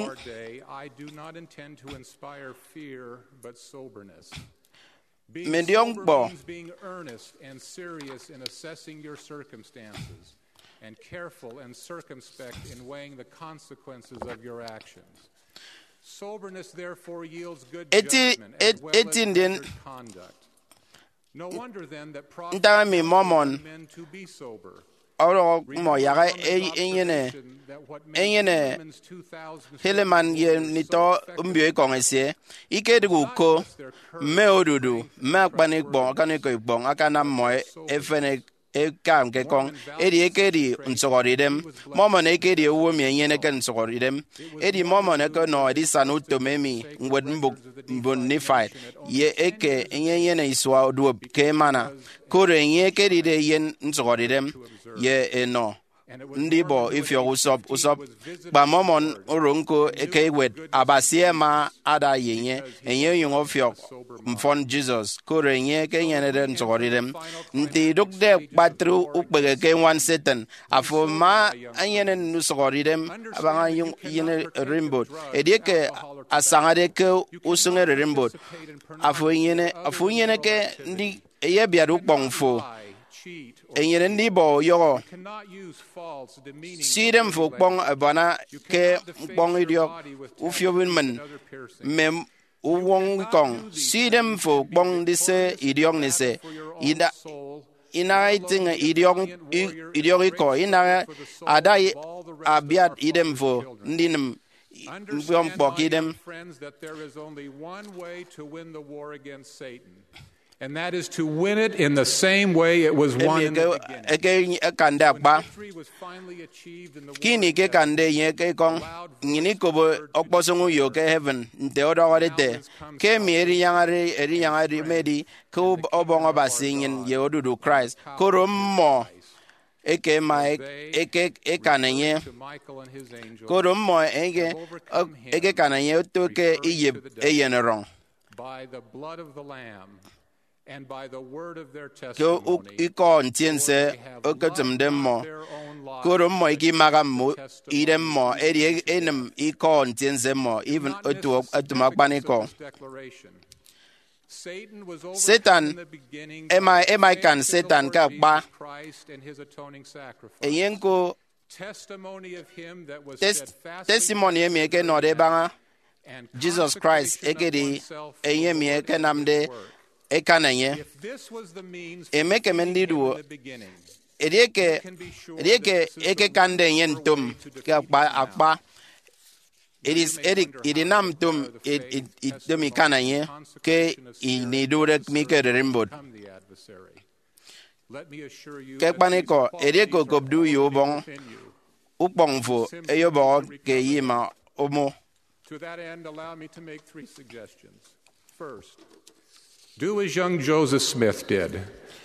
mme ndiọk ñkpọ. Being earnest and serious in assessing your circumstances and careful and circumspect in weighing the consequences of your actions. Soberness therefore yields good Eti- judgment as et- well eti as ndien measured conduct. No wonder then that prophets Ntak emi Mormon counsel men to be sober. Ọrọk mmọ yak enyene enyene Helaman ye nditọ mbio ikọñ esie, ikedịghe uko mme odudu mme akpanikpọ, akpanikọ ikpọñ akanam mmọ efen eka ñkekọñ. Edi ekedi nsụhọdeidem. Mormon ekedi owo emi enyeneke nsụhọdeidem. Edi Mormon ekenọ edisana utom emi ñwetmbụk mbon Nephite ye eke enye enyene isua duop ke emana, koro enye ekedide eyen nsụhọdeidem ye enọ ndibọ ifiọk usọp usọp. Kpa Mormon oro ñko ke ewet Abasi ama ada ye enye, enye onyụñ ọfiọk mfọn Jesus, koro enye ekenyenede nsụhọdeidem. Nte idụkde akpatre ukpehe ke eñwan Satan, afo ama enyene nsụhọdeidem abaña eyen ererimbot. Edieke asañade ke usụñ ererimbot, afo enyene, afo unyeneke ndi eyebiat ukpọñ fo, enyene ndibọ uyọhọ. Si idem fo ukpọñ abuana ke ñkpọñ idiọk ufiop mmịn mme uwọñ ikọñ. Si idem fo kpọñ ndise idiọk ndise. Ida- inaha itịñ idiọk, i- idiọk ikọ, inaha ada i- abiat idem fo ndinịm ñkpọ ñkpọ ke idem. Friends, that there is only one way to win the war against Satan, and that is to win it in the same way it was won Emi in the eke- beginning. Eke akande akpa. Victory was finally achieved in the Ke ini war ke akande enye ke ikọñ, nnyịn ikobo ọkpọsọñ uyo ke heaven, nte ọdọhọde ete, ke emi erinyaña erinyaña edi ke ub- ọbọñ Abasi nnyịn ye odudu Christ, koro mmọ eke ẹma eke ekan enye, koro mmọ eke ekekan enye oto ke iyịp eyen erọñ. By the blood of the Lamb and by the word of their Ke testimony. Ikọ ntiense oketịmde mmọ, koro mmọ ikimaha mme idem mmọ, edi enịm Ikọ ntiense mmọ, even otu otu akpanikọ. Declaration. Satan was Satan overcome in the beginning ema- by ema faith ikan in the Satan Lord ke akpa. Jesus Christ and his atoning sacrifice. Enye ñko Testimony of him that was tes- steadfastly testimony emi faithful ekenọde to ebaña and Jesus Christ consecration of ekedi oneself for enye the emi Lord ekenamde Jesus' work. Ekan enye. If this was the means Emekeme to ndidu him in the beginning, edieke can be sure edieke that this is the ekekande enye proper ntom way to ke defeat akpa the akpa. Edi- edi- edinam ntom i- i- itom ikan enye ke ini idude mi ke ererimbot. Let me assure you Ke that these akpanikọ, edieke qualities okopde are uyo already ubọñ, within you. Ukpọñ fo eyobọhọ ke ye ima omo. To that end, allow me to make three suggestions. First, do as young Joseph Smith did.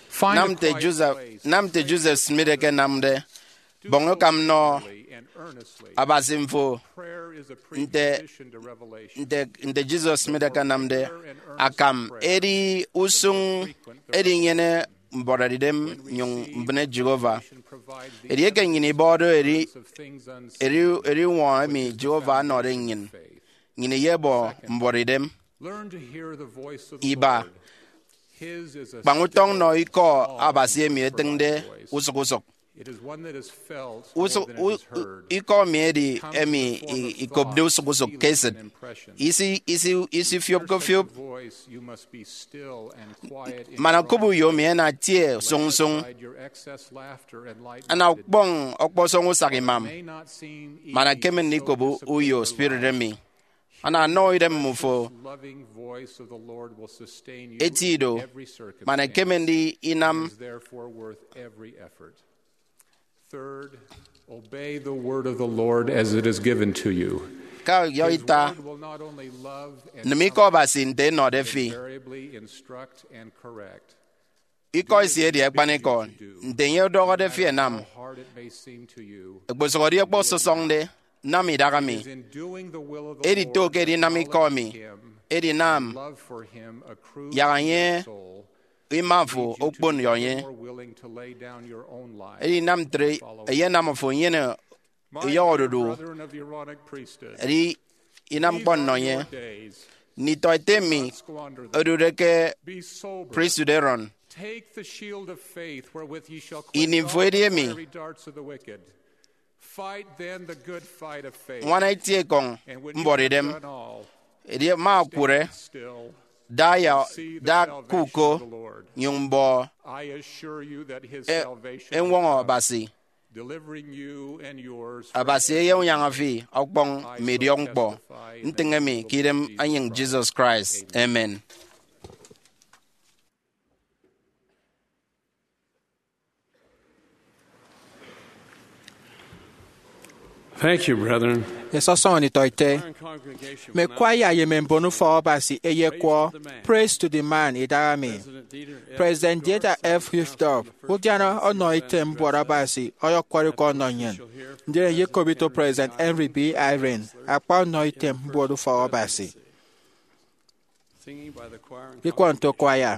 Find a Nam nte quiet Joseph place. nam nte Joseph Smith ekenamde. Bọñ ukam nọ And earnestly. Abasi mfo Prayer is a nte precondition to revelation. nte nte Joseph Smith ekenamde. Akam edi usụñ edinyene mbọrọridem nyụñ mbịne Jehovah. Edieke nnyịn ibọhọde eri- Of things unseen. eri- eriwọñ emi Jehovah ọnọde nnyịn, nnyịn iyebọ mbọrọridem. Learn to hear the voice of the Iba. Lord. His is a Kpañ utọñ nọ ikọ Abasi emi etịñde usụk usụk. It is one that is felt Usụk- more than it is u- u- heard. Ikọ emi edi emi i- ikopde usụk usụk ke esịt. Isi- isi- isifiopke fiop. Voice, you must be still and quiet in Mana Christ. kop uyo mi ena tie sụñ sụñ. Beside your excess laughter and light Ana ukpọñ ọkpọsọñ usak imam. May not seem easy Mana to keme ndikobo discipline uyo your spirit life. Emi. Ana nọ idem mmufo. Loving voice of the Lord will sustain you Eti ido. in every circumstance. Mana keme ndi inam. It is therefore worth every effort. Third, obey the word of the Lord as it is given to you. Ka yọ His ita. Word will not only love and Nịm ikọ Abasi nte enọde fi. Invariably instruct and correct. Ikọ esi edi akpanikọ. Nte enye ọdọhọde fi enam. How hard it may seem to you, Ekposụhọde ọkpọ sọsọñde. Nam idaha mi. is in doing the will of the Edito Lord, ke edinam ikọ mi. him, Edinam. Love for him accrues Yaha to enye. your soul. Ima fo okpon yọ enye. More willing to lay down your own life. Edinam ntre eyenam fo nyene eyọhọ odudu. Brethren of the Aaronic priesthood, Edi inam ñkpọ nnọ enye. days, Nditọ ete mi squander them. odude ke Be sober. Priesthood Aaron. Take the shield of faith wherewith ye shall Ini quench mfo all edi the emi. Fiery darts of the wicked. Fight then the good fight of faith. Ñwana eti ekọñ And when you have mbọrọidem. Done all, Edi ma akwụre. Still, Da ya see the da salvation kuko. Of the Lord. Nyụñ mbọ. I assure you that his E- salvation Enwọñọ Abasi. Delivering you and yours. Abasi eyenyaña fi ọkpọñ mme idiọk ñkpọ. Ntịñe mi ke idem enyịñ Jesus Christ. Amen. Thank you, brethren. Esọsọñọ nditọ ete. Congregation Mme kwaya ye mme mbon ufọk Abasi eyekwọ Praise to the Man idaha mi. President Dieter F. Uchtdorf, udiana ọnọ item mbuọt Abasi, ọyọkwọrọ ikọ ọnọ nnyịn. Ndien eyekop ito President Henry B. Eyring, akpa ọnọ item mbuọt ufọk Abasi. Ikọ nto kwaya.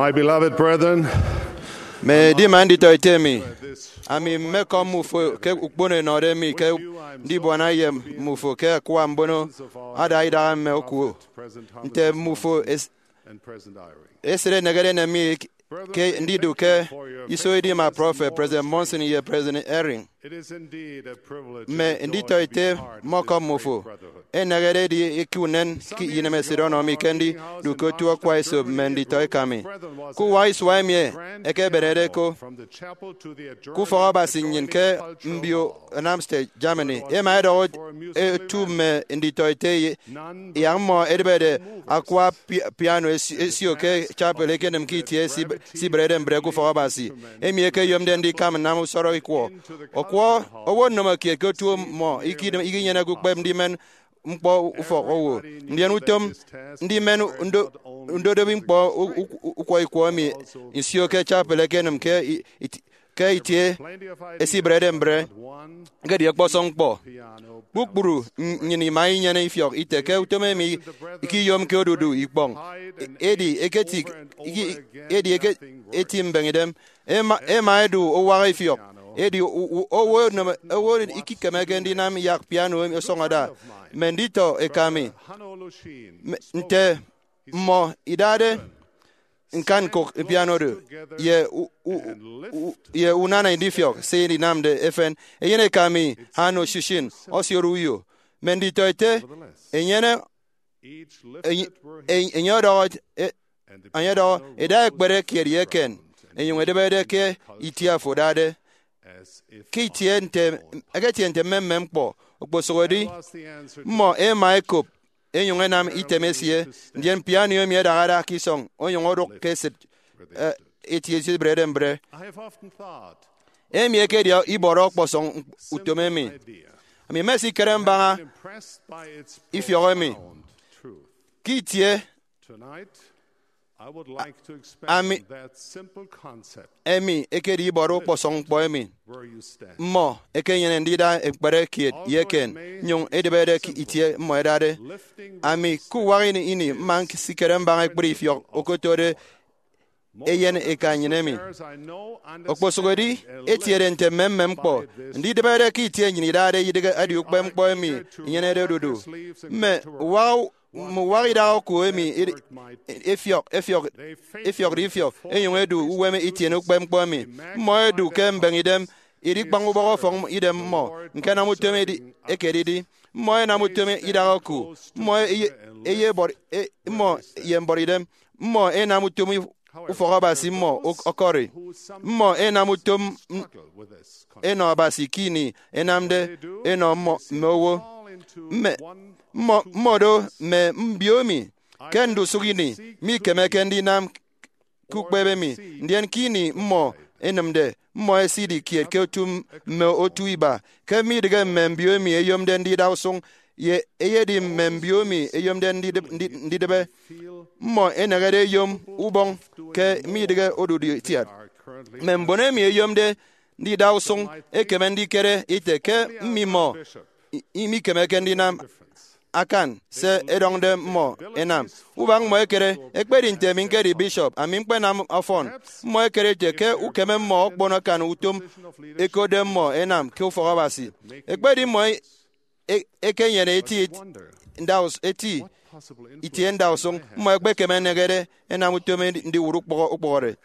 My beloved brethren, mme edima nditọete mi, ami mmekọm mmufo ke ukpono enọde mi ke ndibuana ye mmufo ke akwa mbono ada idaha mme okuo. Nte mmufo es- esịt enegede enem mi ke ndidu ke iso edima prọfet President Monson ye President Eyring. Mme nditọete mmọkọm mmufo. Enegede edi eke unen ke inemesịt ọnọ mi ke ndidu ke otu akwa esop mme nditọ eka mi. Ke uwa isua emi ekebenede ko ke ufọk Abasi nnyịn ke mbio Darmstadt, Germany, ema edọhọ otu mme nditọete yak mmọ edịbede akwa pi- piano esi- esio ke chapel ekenịm ke itie esiberede mbre ke ufọk Abasi, emi ekeyomde ndikam nnam usọrọ ikwọ. Ọkwọ owo nnomo kiet ke otu mmọ ikidịm- ikinyeneke ukpep ndimen ñkpọ ufọk owo, ndien utom ndimen ndo- ndodobi ñkpọ u- u- ukwọ ikwọ emi nsio ke chapel ekenịm ke i- it- ke itie esiberede mbre. Ekedi ọkpọsọñ ñkpọ. Kpukpru nnyịn ima inyene ifiọk ite ke utom emi ikiyomke odudu ikpọñ, edi eketi edi eke- eti mbeñidem. Ema ema edu uwaha ifiọk, edi u- u- owo enem- owo ikikemeke ndinam yak piano emi ọsọñọde. Mme nditọ eka mi, nte mmọ idade ñkan ñkụk piano do ye u- u- u- ye unana ndifiọk se idinamde efen. Eyen eka mi, Hanno Shishin, ọsioro uyo. Mme nditọete enyene enye- enye ọdọhọ e- enye ọdọhọ eda ekpere kiet ye eken, enyụñ edịbede ke itie afo dade ke itie nte eketie nte mmemmem ñkpọ. Okposụkedi mmọ ema ekop enyụñ enam item esie, ndien piano emi edahada ke isọñ onyụñ odụk ke esịt eh, eti esiberede mbre. Emi ekedi ibọrọ ọkpọsọñ utom emi. Ami mmesikere mbaña ifiọk emi ke itie ami emi ekedi ibọrọ ọkpọsọñ ñkpọ emi. Mmọ ekenyene ndida ekpere kiet ye eken, nyụñ edịbede ke itie mmọ edade. Ami ke uwak ini ini mma nsikere mbaña ekpri ifiọk okotode eyen eka nnyịn emi. Okposụkedi etiede nte mmemmem ñkpọ, ndidịbede ke itie nnyịn idade idịghe edi ukpep ñkpọ emi inyenede odudu. Mme uwak mme uwak idaha oku emi edi- efiọk efiọk efiọkde ifiọk enyụñ edu uwem itiene ukpep ñkpọ emi. Mmọ edu ke mbeñidem idikpañ ubọk ọfọñ idem mmọ ñkenam utom edi- ekedidi. Mmọ enam utom idaha oku. Mmọ eye- eye ebọri- e- mmọ ye mbọrọidem. Mmọ enam utom ufọk Abasi mmọ ọkọri. Mmọ enam utom enọ Abasi ke ini enamde enọ mmọ mme owo. Mme mmọ mmọdo mme mbio emi ke ndusụk ini mikemeke ndinam ke ukpep emi, ndien ke ini mmọ enịmde, mmọ esidi kiet ke otu mme otu iba, ke midịghe mme mbio emi eyomde ndida usụñ, ye eyedi mme mbio emi eyomde ndidịb- ndi- ndidịbe. Mmọ enehede eyom ubọñ ke midịghe odudu itiat. Mme mbon emi eyomde ndida usụñ ekeme ndikere ite ke mmimọ i- imikemeke ndinam akan se ẹdọñde mmọ ẹnam. Ubak mmọ ekere, ekpedi nte ami ñkedi bishop, ami ñkpenam ọfọn. Mmọ ekere ete ke ukeme mmọ okpon akan utom ekode mmọ ẹnam ke ufọk Abasi. Ekpedi mmọ e- ekenyene eti ndaus- eti itie ndausụñ, mmọ ẹkpekeme ẹneñede ẹnam utom edi- ndiwụt ukpọhọ- ukpọhọde.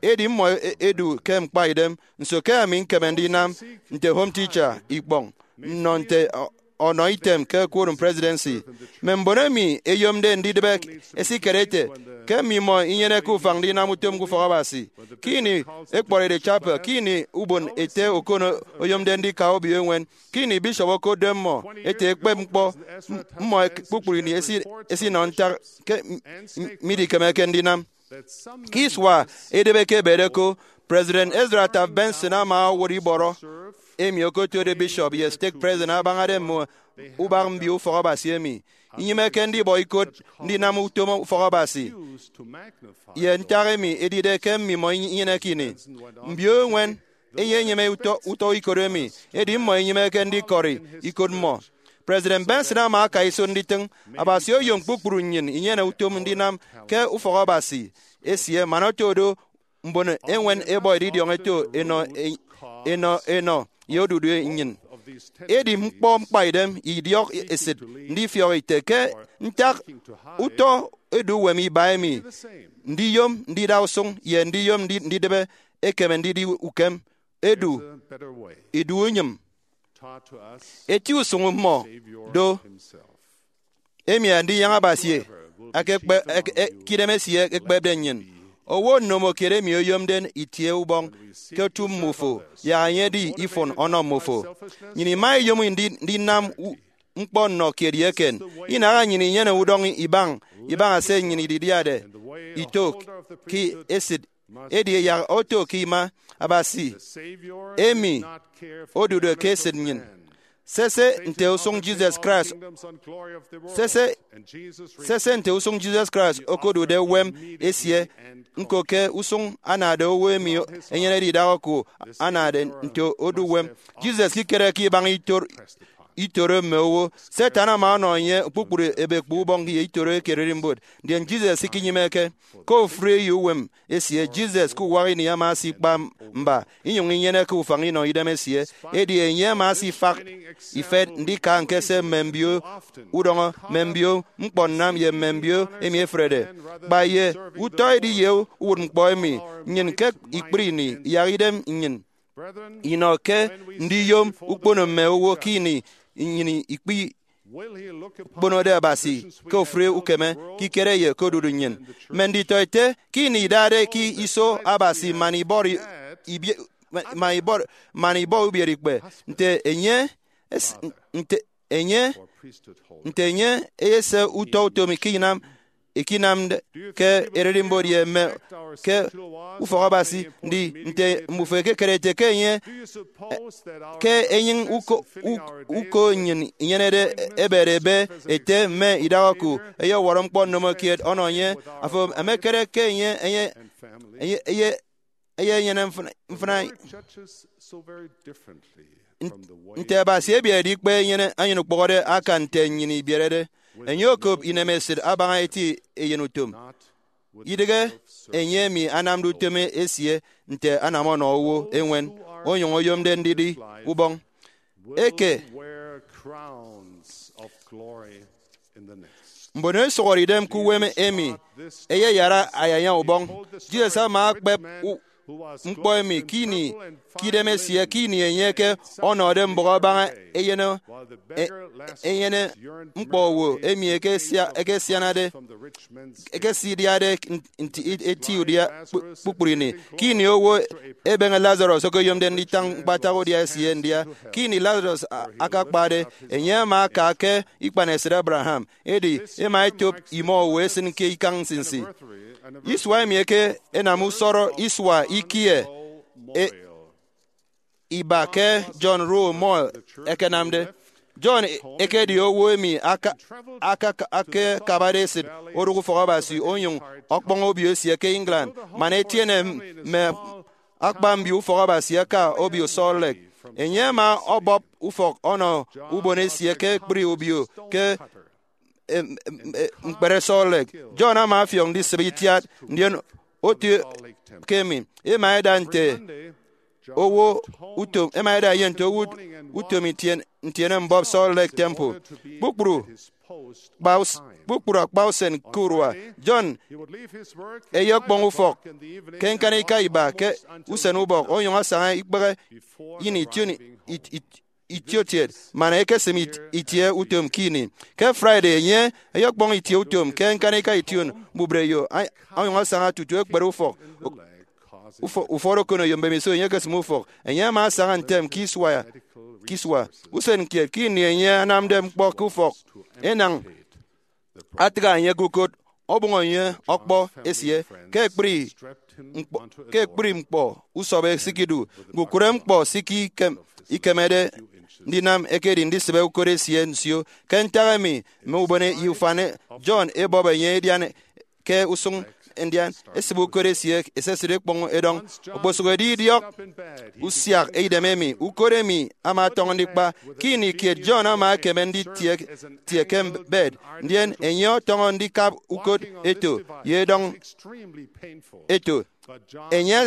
Edi mmọ e- edu ke ñkpaidem. Nso ke ami ñkeme ndinam nte home teacher ikpọñ nnọ nte ọ- ọnọ item ke Quorum Presidency? Mme mbon emi eyomde ndidịbe ẹsikere ete ke mmimọ inyeneke ufañ ndinam utom ke ufọk Abasi. Ke ini ekpọride chapel, ke ini ubon ete okono oyomde ndika obio eñwen, ke ini bishop okotde mmọ ete ekpep ñkpọ, m- mmọ ek- kpukpru ini esi- esinọ ntak ke m- m- midikemeke ndinam. Ke isua edịbe ke ebede ko, President Ezra Taft Benson ama owụt ibọrọ emi okotode bishop ye stake president abañade mme ubak mbio ufọk Abasi emi. Inyịmeke ndibọ ikot ndinam utom ufọk Abasi ye ntak emi edide ke mmimọ inyeneke ini. Mbio eñwen eyenyịme utọ utọ ikot emi, edi mmọ inyịmeke ndikọri ikot mmọ. President Benson ama aka iso nditịñ, Abasi oyom kpukpru nnyịn inyene utom ndinam ke ufọk Abasi. esie man oto do mbon eñwen ebọ edidiọñ eto enọ enọ enọ ye odudu nnyịn. Edi ñkpọ ñkpaidem idiọk esịt ndifiọk ite ke ntak utọ edu uwem iba emi, ndiyom ndida usụñ ye ndiyom ndi- ndidịbe ekeme ndidi ukem edu idu unyịm. Eti usụñ mmọ do emi Andinyaña Abasi akekpe- ek- e- ke idem esie ekpepde nnyịn. Owo nnomokiet emi oyomde itie ubọñ ke otu mmufo, yak enye edi ifụn ọnọ mmufo. Nnyịn ima iyom ndi- ndinam u- ñkpọ nnọ kiet ye eken. Inaha nnyịn inyene udọñ ibañ ibaña se nnyịn ididiade itok ke esịt, edi yak oto ke ima Abasi emi odude ke esịt nnyịn. Sese nte usụñ Jesus Christ sese sese nte usụñ Jesus Christ okodude uwem esie, ñko ke usụñ anade owo emi enyenede idaha oku anade nte odu uwem. Jesus ikere ke ibaña itor- itoro mme owo. Satan ama ọnọ enye kpukpru ebekpo ubọñ ye itoro eke ererimbot, ndien Jesus ikinyịmeke. Ke ofụri eyo uwem esie, Jesus ke uwak ini ama asikpa mba inyụñ inyeneke ufañ inọ idem esie. Edi enye ama asifak ifet ndika ñkese mme mbio udọñọ, mme mbio ñkpọ nnam ye mme mbio emi efrede. Kpa ye utọ edi ye uwụtñkpọ emi, nnyịn ke ikpri ini iyak idem nnyịn inọ ke ndiyom ukpono mme owo ke ini nnyịn ikpi kponode Abasi ke ofụri ukeme, ke ikere ye ke odudu nnyịn. Mme nditọete ke ini idade ke iso Abasi man ibọrọ ibie- man ibọrọ man ibọ ubiereikpe nte enye es- nte enye nte enye eyese utọ utom ke inam ikinamde ke ererimbot ye mme ke ufọk Abasi. Ndi nte mbufo ekekere ete ke enye ke enyịñ uko u- uko nnyịn inyenede ebet ebe ete mme idaha oku eyewọrọ ñkpọ nnomokiet ọnọ enye? Afo emekere ke enye enye enye eye eye enyene mfịna mfịna Nte Abasi ebietde ikpe enyene anyen ukpụhọde akan nte nnyịn ibierede. Enye okop inemesịt abaña eti eyenutom. Idịghe enye emi anamde utom esie nte anam ọnọ owo eñwen, onyụñ oyomde ndidi ubọñ eke. Mbon ẹsụhọde idem ke uwem emi ẹyeyara ayaña ubọñ. Jesus ama akpep u- ñkpọ emi ke ini ke idem esie ke ini enye ke ọnọde mbụk abaña enyene e- enyene ñkpọ owo emi ekesia- ekesianade ekesidiade nti eti udia kpu- kpukpru ini. Ke ini owo ebeñe Lazarus okeyomde nditañ ñkpatak udia esie ndia. Ke ini Lazarus a- akakpade, enye ama aka ke ikpanesịt Abraham, edi ema etop imọ owo esịn ke ikañ nsinsi. Isua emi eke enam usọrọ isua ikie e- iba ke John Rowe Moyle ekenamde. John ekedi owo emi aka- aka- akakabade esịt odụk ufọk Abasi onyụñ ọkpọñ obio esie ke England man etiene mme akpa mbio ufọk Abasi aka obio Salt Lake. Enye ama ọbọp ufọk ọnọ ubon esie ke ekpri obio ke em- em- em- ñkpere Salt Lake. John ama afiọk ndisịbe itiat, ndien otu ke emi ema eda nte owo utom ema eda ye nte owo utom itien- ntiene mbọp Salt Lake Temple. Kpukpru kpa us- kpukpru akpa usen ke urua, John eyekpọñ ufọk ke ñkanika iba ke usen ubọk onyụñ asaña ikpehe ini ition it- it- itiokiet man ekesịm it- itie utom ke ini. Ke Friday enye eyekpọñ itie utom ke ñkanika ition mbubreyo a- onyụñ asaña tutu ekpere ufọk. Ufọ- ufọt okoneyo mbemiso enye ekesịm ufọk. Enye ama asaña ntem ke isua ke isua. Usen kiet ke ini enye anamde ñkpọ ke ufọk, enañ atịgha enye ke ukot, ọbọñ enye ọkpọ esie ke ekpri ñkpọ- ke ekpri ñkpọ usọbọ esikidu. Ñkukụre ñkpọ sikikem- ikemede ndinam ekedi ndisịbe ukot esie nsio. Ke ntak emi, mme ubon ye ufan John ebọp enye edian ke usụñ ndian esịbe ukot esie esesịt ekpọñ edọñ. Okposụkedi idiọk usiak idem emi, ukot emi ama ọtọñọ ndikpa. Ke ini kiet, John ama ekeme nditie tie ke bed, ndien enye ọtọñọ ndikap ukot eto ye edọñ eto. Enye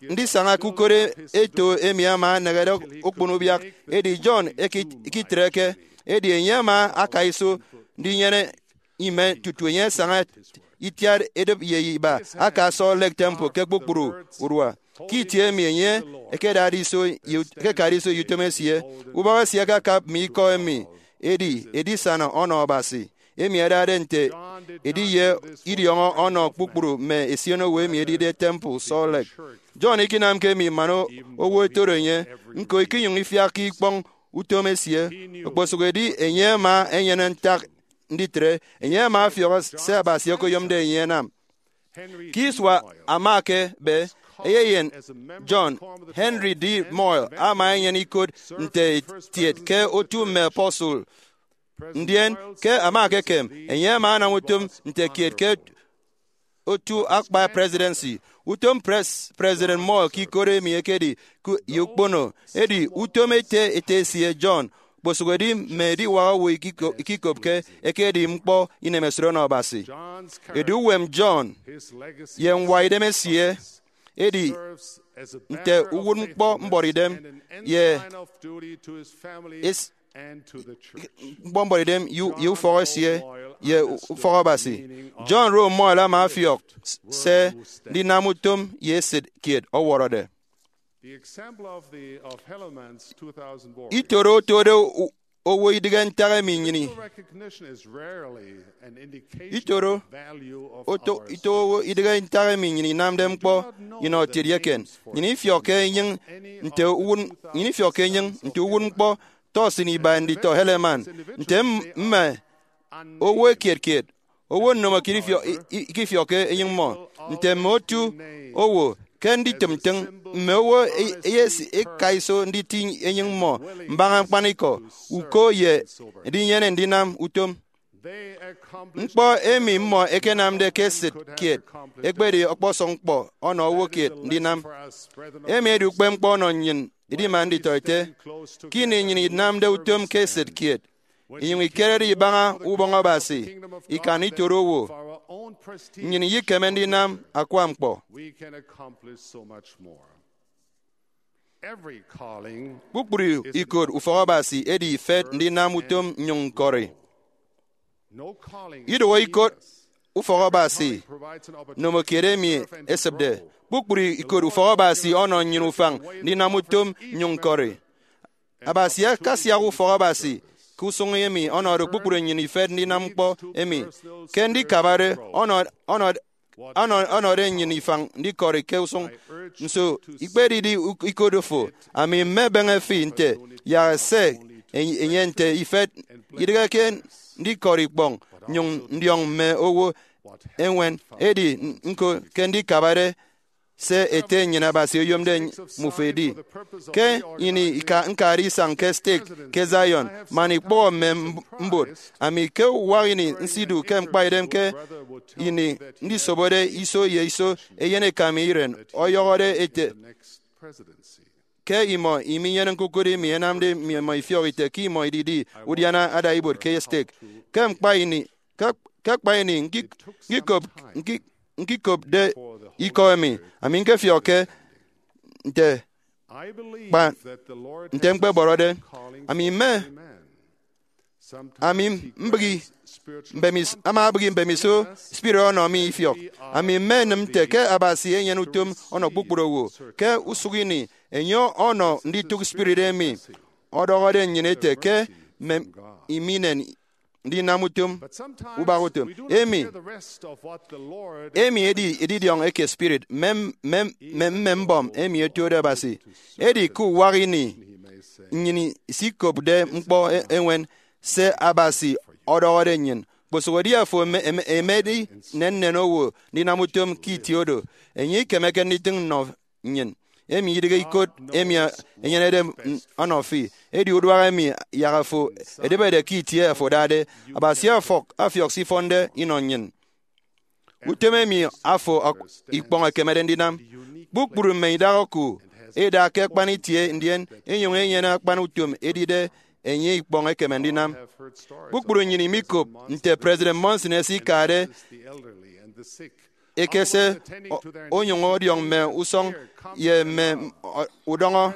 ndisaña ke ukot eto emi ama enehede okpon ubiak, edi John eki- ekitreke, edi enye ama aka iso ndinyene ime tutu enye asaña itiat edịp ye iba aka Salt Lake Temple ke kpukpru urua. Ke itie emi enye ekedade iso ye ut- ekekade iso ye utom esie, ubọk esie akakap mme ikọ emi, edi edisana ọnọ Abasi, emi adade nte ediye idiọñọ ọnọ kpukpru mme esionowo emi edide temple Salt Lake. John ikinamke emi man o- owo ẹtoro enye, ñko ikinyụñ ifiakke ikpọñ utom esie. Okposụkedi enye ama enyene ntak nditre, enye ama ọfiọk se Abasi okoyomde enye anam. Ke isua ama ekebe, eyeyen John, Henry D. Moyle ama enyene ikot nte etiet ke otu mme apostle, ndien ke ama ekekem, enye ama anam utom nte kiet ke otu akpa presidency. Utom pres- President Moyle ke ikot emi ekedi ku- ye ukpono, edi utom ete ete esie John, okposụkedi mme ediwak owo ikiko- ikikopke, ekedi ñkpọ inemesịt ọnọ Abasi. Edu uwem John ye ñwaidem esie edi nte uwụtñkpọ mbọrọidem ye es- ñkpọ mbọrọidem ye ye ufọk esie ye ufọk Abasi. John Rowe Moyle ama ọfiọk se ndinam utom ye esịt kiet ọwọrọde. Itoro otode u- owo idịghe ntak emi nnyịn i- itoro oto ito owo idịghe ntak emi nnyịn inamde ñkpọ inọtiet ye eken. Nnyịn ifiọkke enyịñ nte uwụt- nnyịn ifiọkke enyịñ nte uwụtñkpọ tọsịn iba nditọ Helaman, nte m- mme owo ekiet kiet, owo nnomo kiet ifio- i- i- ikifiọkke enyịñ mmọ, nte mme otu owo ke nditịm ntịñ, mme owo e- eyesi eka iso nditi enyịñ mmọ mbaña ñkpanikọ, uko ye ndinyene ndinam utom. Ñkpọ emi mmọ ẹkenamde ke esịt kiet ekpedi ọkpọsọñ ñkpọ ọnọ owo kiet ndinam. Emi edi ukpepñkpọ ọnọ nnyịn edima nditọete. Ke ini nnyịn inamde utom ke esịt kiet, inyụñ ikerede ibaña ubọñ Abasi ikan itoro owo, nnyịn iyekeme ndinam akwa ñkpọ. Kpukpru ikot ufọk Abasi edi ifet ndinam utom nnyụñ ñkọri. Idụhe ikot ufọk Abasi nomo kiet emi esịpde. Kpukpru ikot ufọk Abasi ọnọ nnyịn ufañ ndinam utom nnyụñ ñkọri. Abasi akasiak ufọk Abasi ke usụñ emi ọnọde kpukpru nnyịn ifet ndinam ñkpọ emi. Ke ndikabade ọnọ- ọnọ- ọnọ- ọnọde nnyịn ifañ ndikọri ke usụñ. Nso ikpedidi u- ikot fo? Ami mmebeñe fi nte, yak se enye nte ifet, idịghe ke ndikọri ikpọñ nnyụñ ndiọñ mme owo eñwen, edi ñko ke ndikabade se Ete nnyịn Abasi oyomde mmufo edi. Ke ini ika- ñkade isañ ke stake ke Zion man ikpọhọ mme mb- mbot, ami ke uwak ini nsidu ke ñkpaidem ke ini ndisobode iso ye iso eyen eka mi iren ọyọhọde ete ke imọ iminyene ñkukụt emi ẹnamde mme imọ ifiọk ite ke imọ ididi udiana ada ibuot ke stake. Ke ñkpa ini ke ke akpa ini ñki- ñkikop ñki- ñkikopde ikọ emi, ami ñkefiọkke nte kpa nte ñkpebọrọde. Ami mme ami mbịghi mbemis ama abịghi mbemiso spirit ọnọ mi ifiọk. Ami mme nịm nte ke Abasi enyene utom ọnọ kpukpru owo. Ke usụk ini enye ọnọ nditụk spirit emi ọdọhọde nnyịn ete ke mme iminen ndinam utom ubak utom emi. Emi edi edidiọñ eke spirit mme mme mme mbọm emi ẹtuade Abasi. Edi ke uwak ini nnyịn isikopde ñkpọ e- eñwen se Abasi ọdọhọde nnyịn, kposụkedi afo eme- eme- emedi nnennen owo ndinam utom ke itie oro, enye ikemeke nditịñ nnọ nnyịn. Emi idịghe ikot emi enyenede ọnọ fi, edi uduak emi yak afo edịbede ke itie afo adade. Abasi ọfọk afiọk se ifọnde inọ nnyịn. utom emi afo ọk-, ikpọñ ekemede ndinam. Kpukpru mme idak oku eda ke akpan itie, ndien enyuñ enyene akpan utom edide enye ikpọñ ekeme ndinam. Kpukpru nnyin imikop nte President Monson esikade ekese o-, onyuñ ọdiọñ mme usọñ ye mme o-, udọñọ,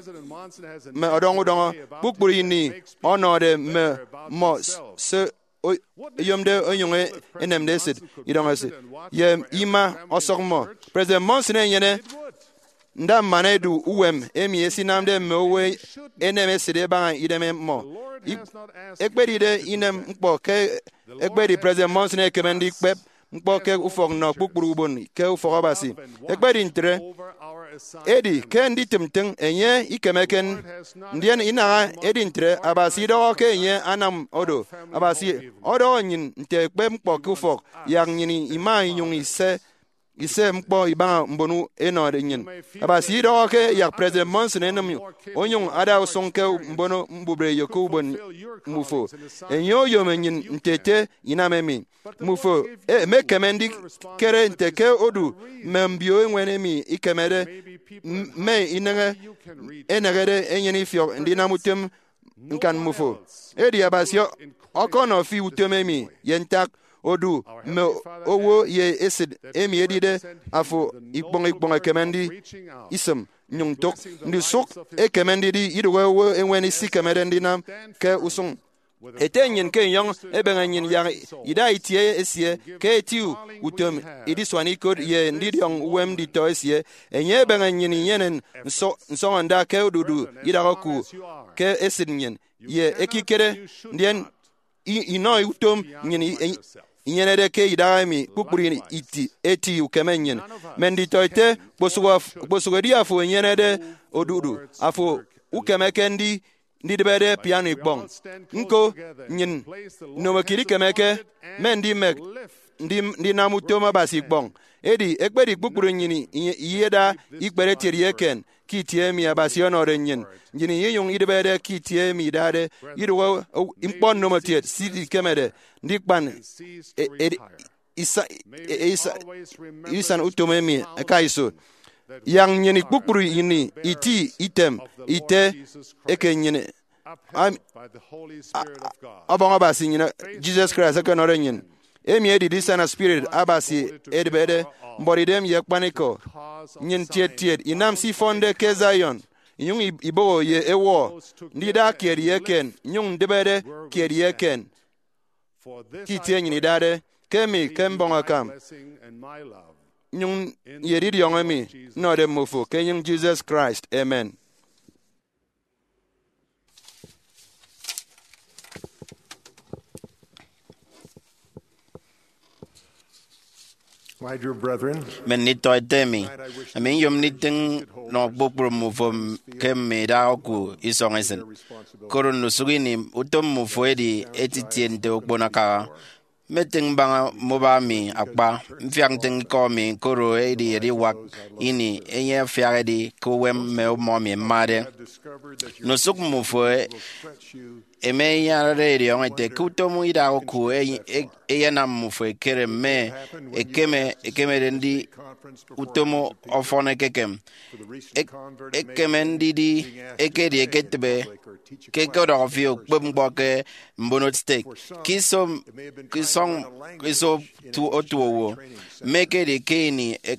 mme ọdọñ udọñọ. Kpukpru ini ọnọde mme mmọ s-, se o-, oyomde onyuñ e-, enemde esit, idọñ esit, ye ima ọsọk mmọ. President Monson enyene nda mmana edu uwem emi esinamde mme owo enem esit ebaña idem mmọ. Ik-, ekpedide inem ñkpọ ke ekpedi President Monson ekeme ndikpep ñkpọ ke ufọk nnọ kpukpru ubon ke ufọk Abasi. Ekpedi ntre, edi ke nditịm ntịñ enye ikemeke, ndien inaha edi ntre Abasi idọhọ ke enye anam odo. Abasi ọdọhọ nnyin nte ekpep ñkpọ ke ufọk, yak nnyin ima inyuñ ise ise ñkpọ ibaña mbon enọde nnyịn. Abasi idọhọ ke yak President Monson enịm onyụñ ada usụñ ke mbono mbubreyo ke ubon mmufo. Enye oyom nnyịn nte ete inam emi. Mmufo e-, emekeme ndikere nte ke odu mme mbio eñwen emi ikemede m-, mme ineñe enehede enyene ifiọk ndinam utom ñkan mmufo. Edi Abasi ọ-, ọkọnọ fi utom emi ye ntak odu mme owo ye esit emi edide afo ikpọñ ikpọñ ekeme ndi isịm nnyụñ ntụk. Ndusụk ekeme ndidi idụhe owo eñwen isikemede ndinam ke usụñ. Ete nnyịn ke enyọñ ebeñe nnyịn yak ida itie esie ke eti utom idisuan ikot ye ndidiọñ uwem nditọ esie. Enye ebeñe nnyịn inyene nsọ-, nsọñọnda ke odudu idak oku ke esit nnyịn ye ekikere, ndien i-, inọ utom nnyịn i-, i-, inyenede ke idaha emi kpukpru iti, eti ukeme nnyịn. Mme nditọete, kposụk of-, kposụk edi afo enyenede odudu, afo ukemeke ndi-, ndidịbede piano ikpọñ. Ñko, nnyịn nnomokiet ikemeke mme ndimek ndi-, ndinam utom Abasi ikpọñ. Edi ekpedi kpukpru nnyịn i-, iyeda ikpere etiet ye eken ke itie emi Abasi ọnọde nnyịn, nnyịn inyụñ idịbede ke itie emi idade idụhe o-, ñkpọ nnomotiet se ikemede ndikpan e-, edi-, isa-, e-, isa-, isan utom emi ẹka iso. Yak nnyịn kpukpru ini iti item ite eke nnyịn am-, a-, a-, ọbọñ Abasi nnyịn, Jesus Christ, ẹkenọde nnyịn. Emi edi ndisana spirit Abasi edịbede, mbuọtidem ye akpanikọ. Nnyịn tiet tiet inam se ifọnde ke Zion, inyụñ i-, iboho ye ewọ, ndida kiet ye eken, nnyụñ ndịbede kiet ye eken ke itie nnyịn idade, ke emi ke mbọñ akam, nnyụñ ye edidiọñ emi nnọde mmofo ke enyịñ Jesus Christ. Amen. My dear brethren, mme nditọete mi, ami nyom nditịñ nọ kpukpru mmufo ke mme idak oku isọñ esit. Koro ndusụk ini, utom mmufo edi eti itie nte okpono akaha. Mmetịñ mbaña mbuba mi akpa, mfiak ntịñ ikọ mi, koro edi ediwak ini enye afiak edi ke uwem mme mmọ mi mmade. Ndusụk mmufo e-, eme iyanade ediọñ ete ke utom idak oku e-, e-, eyenam mmufo ekere mme ekeme, ekemede ndi utom ọfọn ekekem. Ek-, ekeme ndidi ekedi eketịbe ke ẹkọdọhọ fi okpep ñkpọ ke mbono stek, ke iso, ke isọñ, ke iso tu-, otuowo, mme ekedi ke ini e-,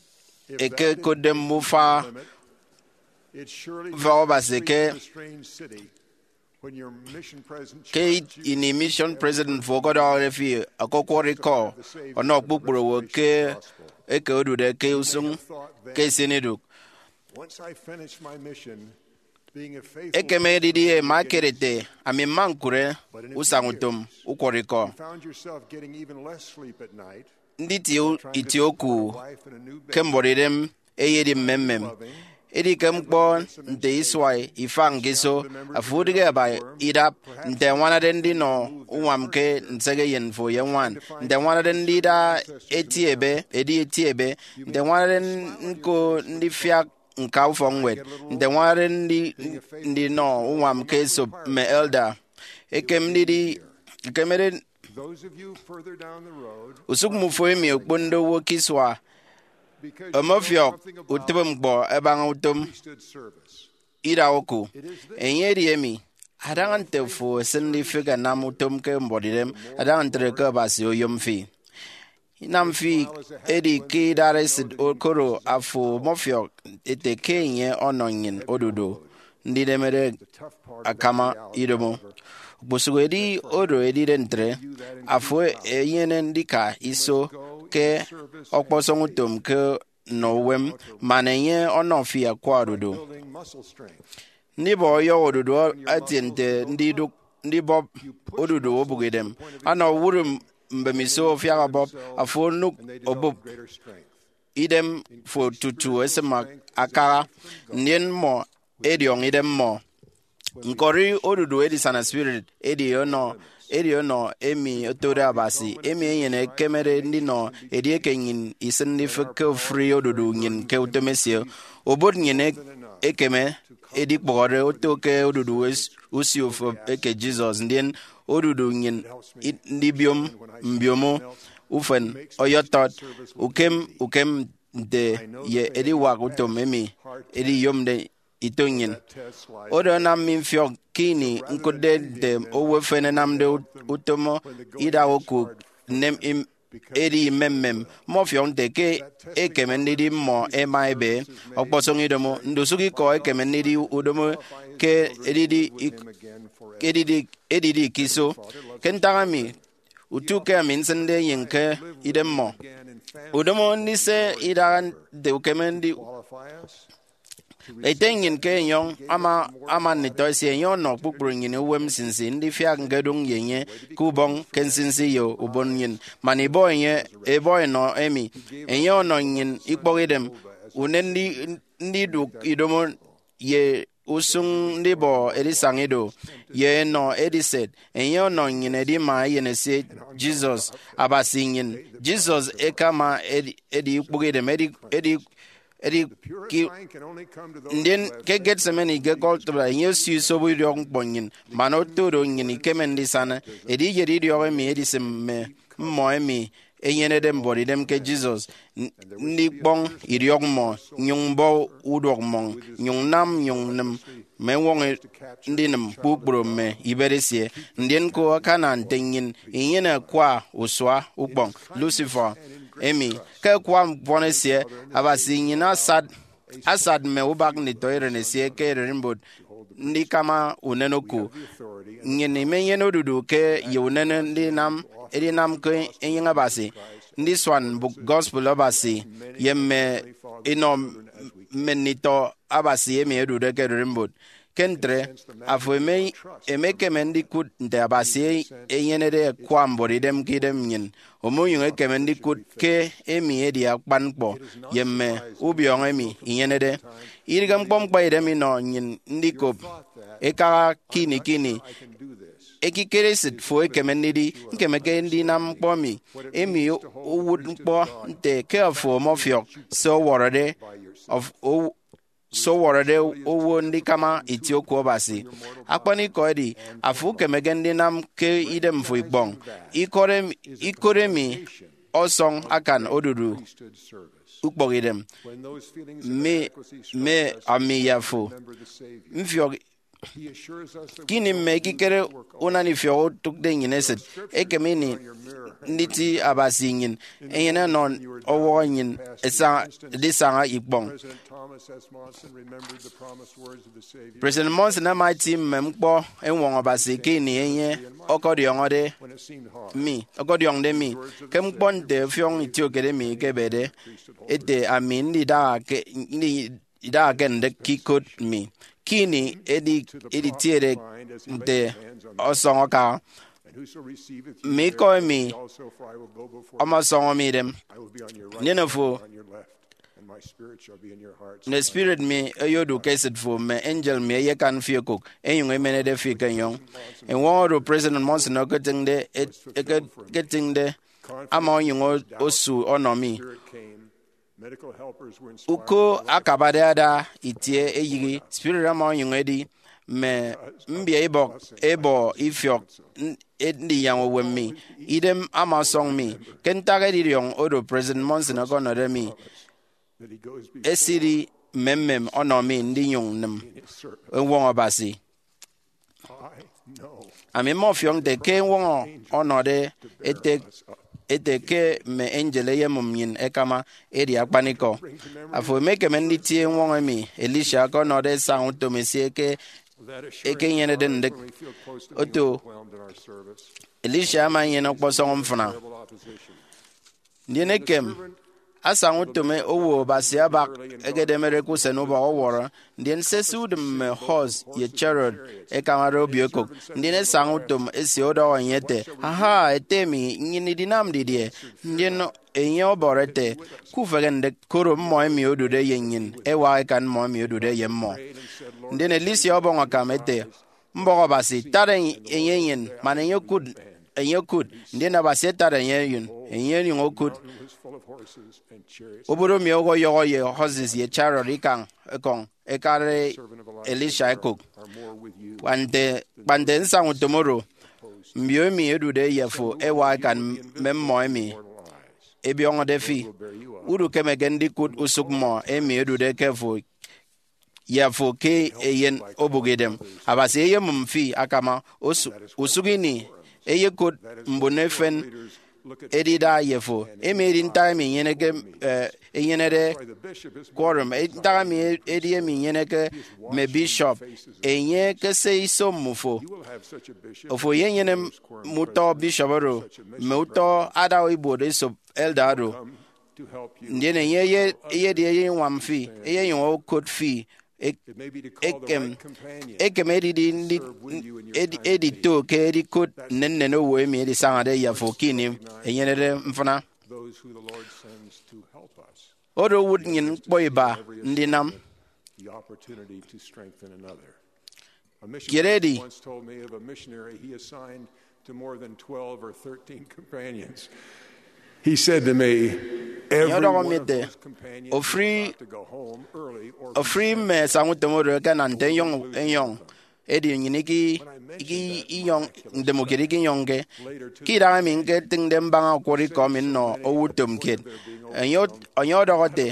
ekekotde mbufa ufọk Abasi ke, ke ini mission president fo ọkọdọhọde fi ọkọkwọrọ ikọ ọnọ kpukpru owo ke eke odude ke usụñ ke esịnidụk. Ekeme didie ema ekere ete, ami mma ñkụre usañutom ukwọrọikọ, nditie u-, itie oku ke mbuọtidem eyedi mmemmem. Edi ke ñkpọ nte isua ifañ ke iso, afo udịghe aba idap nte añwanade ndinọ uñwam ke nsekeyen fo ye ñwan, nte añwanade ndida eti ebe, edi eti ebe, nte añwanade nko ndifiak ñka ufọkñwed, nte añwanade ndi-, ndinọ uñwam ke esop mme elder. Ekem ndidi, ekemede Usụk mmufo emi okponde owo ke isua, ọmọfiọk utịbe ñkpọ ẹbaña utom idak oku. Enye edi emi, adaña nte fo esịnde ifịk ẹnam utom ke mbuọtidem, adaña ntre ke Abasi oyom fi. Inam fi edi ke idaresit koro afo ọmọfiọk ete ke enye ọnọ nnyịn odudu ndidemede akama idomo. Okposụk edi oro edide ntre, afo enyene ndika iso ke ọkpọsọñ utom ke nnọ uwem man enye ọnọ fi akwa odudu. Ndibọ ọyọhọ odudu etie nte ndidụk ndibọp odudu obụkidem. Ana owụt mbemiso afiak ọbọp, afo onụk obụp idem fo tutu esịm akaha, ndien mmọ ẹdiọñ idem mmọ. Ñkọri odudu edisana spirit edi ọnọ, edi ọnọ emi otode Abasi, emi enyịn ekemede ndinọ edieke nnyịn isịnde ifịk ke ofụri odudu nnyịn ke utom esie. Obot nnyịn ek-, ekeme edikpụhọde oto ke odudu es-, usio ufep eke Jesus, ndien odudu nnyịn i-, ndibiom mbiomo ufen ọyọtọt ukem ukem nte ye ediwak utom emi ediyomde ito nnyịn. Oro anam mi mfiọk ke ini ñkụtde nte owo efen ẹnamde ut-, utom idak oku nnem im-, edi imemmem. Mmọfiọk nte ke ekeme ndidi mmọ ẹma ẹbe ọkpọsọñ idomo. Ndusụk ikọ ekeme ndidi udomo ke edidi ik-, edidi, edidi ke iso. Ke ntak emi, utu ke ami nsịnde enyịñ ke idemmọ, udomo ndise idaha nte ukeme ndi-, ete nnyịn ke enyọñ ama, ama nditọ esie, enye ọnọ kpukpru nnyịn uwem nsinsi ndifiak ñkedụñ ye enye ke ubọñ ke nsinsi ye ubon nnyịn, man ibọ enye, ibọ enọ emi. Enye ọnọ nnyịn ikpọkidem, unen ndi-, ndidụk idomo ye usụñ ndibọ edisaña ido, ye enọ ediset. Enye ọnọ nnyịn edima Eyen esie, Jesus, Abasi nnyịn. Jesus ekama edi, edi ukpụkidem, edi, edi, edi ki-, ndien ke Gethsemane ke Golgotha, enye osio isobo idiọk ñkpọ nnyịn, man oto do nnyịn ikeme ndisana. Edi iyet idiọk emi edisịm mme mmọ emi enyenede mbuọtidem ke Jesus, n-, ndikpọñ idiọk mmọ, nyụñ mbọ uduọk mmọñ, nyụñ nam, nyụñ nịm mme eñwọñọ ndinịm kpukpru mme ibet esie. Ndien ñko akana nte nnyịn inyene akwa usua ukpọñ Lucifer emi ke akwa mfọn esie. Abasi nnyịn asat, asat mme ubak nditọ eren esie ke ererimbot ndikama unen oku. Nnyịn imenyene odudu ke ye unen ndinam, edinam ke enyịñ Abasi, ndisuan mbụk gospel Abasi, ye mme inọ mme nditọ Abasi emi ẹdude ke ererimbot. Ke ntre, afo eme-, emekeme ndikụt nte Abasi enyenede akwa mbuọtidem ke idem nnyịn. Omonyụñ ekeme ndikụt ke emi edi akpan ñkpọ ye mme ubiọñọ emi inyenede. Idịghe ñkpọ ñkpaidem inọ nnyịn ndikop ikaha ke ini ke ini. Ekikere esịt fo ekeme ndidi, ñkemeke ndinam ñkpọ emi. Emi owụt ñkpọ nte ke afo ọmọfiọk se ọwọrọde, of-, ow-, se ọwọrọde owo ndikama itie oku Abasi. Akpanikọ edi, afo ukemeke ndinam ke idemfo ikpọñ. Ikot emi, ikot emi ọsọñ akan odudu ukpọkidem. Mme, mme ami ye afo mfiọk kini mme ekikere unana ifiọk otụkde nnyịn esịt. Ekem ini nditi Abasi nnyịn enyene ọnọ ọwọhọ nnyịn esa-, edisaña ikpọñ. President Monson ama eti mme ñkpọ eñwọñọ Abasi ke ini enye ọkọdiọñọde mi, ọkọdiọñde mi ke ñkpọ nte ọfiọñ itiokede mi ekebede ete ami ndidaha ke, ndi-, idaha ke ndịk ke ikot mi. Ke ini edi, editiede nte ọsọñ akaha, mme ikọ emi ọmọsọñọ mi idem, ndien afo, mme spirit mi eyodu ke esịt fo, mme angel mi eyekan fi okụk, enyụñ emenede fi ke enyọñ. Eñwọñọ oro President Monson eketịñde, eketịñde ama onyụñ o-, osu ọnọ mi. Uko akabade ada itie eyịghe, spirit ama onyụñ edi, mme mbiaibọk ẹbọ ifiọk n-, ndinyaña uwem mi. Idem ama ọsọñ mi ke ntak edidiọñ oro President Monson ọkọnọde mi esidi mmemmem ọnọ mi ndinyụñ nnịm eñwọñọ Abasi. Ami mmọfiọk nte ke eñwọñọ ọnọde ete, ete ke mme angel eyemụm nnyịn ẹkama, edi akpanikọ. Afo emekeme nditie eñwọñọ emi Elisha ọkọnọde esaña utom esie ke ekenyenede ndịk. Oto Elisha ama enyene ọkpọsọñ mfịna. Ndien ekem, asaña utom owo Abasi abak ekedemere ke usen ubọk ọwọrọ, ndien sese udịm mme horse ye chariot ẹkamade obio ekụk. Ndien esaña utom esie ọdọhọ enye ete, Aha, ete mi, nnyịn idinam didie? Ndien enye ọbọrọ ete, Kufehe ndịk, koro mmọ emi odude ye nnyịn ẹwak ẹkan mmọ emi odude ye mmọ. Ndien Elisha ọbọñ akam ete, Mbọk Abasi, tat enye enyịn, man enye okụt, enye okụt. Ndien Abasi atat enye enyịn, enye onyụñ okụt. Obodomi ọyọhọ ye horses ye chariot ikañ ekọñ ẹkade Elisha ekụk. Kpa nte, kpa nte nsaña utom oro, mbio emi ẹdude ye afo ẹwak ẹkan mme mmọ emi ẹbiọñọde fi. Udukemeke ndikụt usụk mmọ emi ẹdude ke afo ye afo ke eyen obụk idem. Abasi eyemụm fi akama. Osu-, usụk ini eyekot mbon efen edida ye fo. Emi edi ntak emi inyeneke, eh, inyenede quorum. Eh, ntak emi edi emi inyeneke mme bishop. Enye ekese iso mmufo. Ofo eyenyene mme utọ bishop oro, mme utọ ada ibuot esop elder oro. Ndien enye eye-, eyedi eyeñwam fi, eyenyụñ okot fi. Ek-, ekem, ekem edidi ndi-, edi-, edito ke edikot nnennen owo emi edisañade ye afo ke ini enyenede mfịna. Oro owụt nnyịn ñkpọ iba ndinam. Kiet edi, enye ọdọhọ mi ete, ofri, ofri mme esaña utom oro ẹkena nte enyọñ enyọñ, edi nnyịn iki, iki inyọñ, ntem ukiet ikinyọñke. Ke idaha emi ñketịñde mbaña ọkwọrọ ikọ mi nnọ owo utom kiet, enye, enye ọdọhọ ete,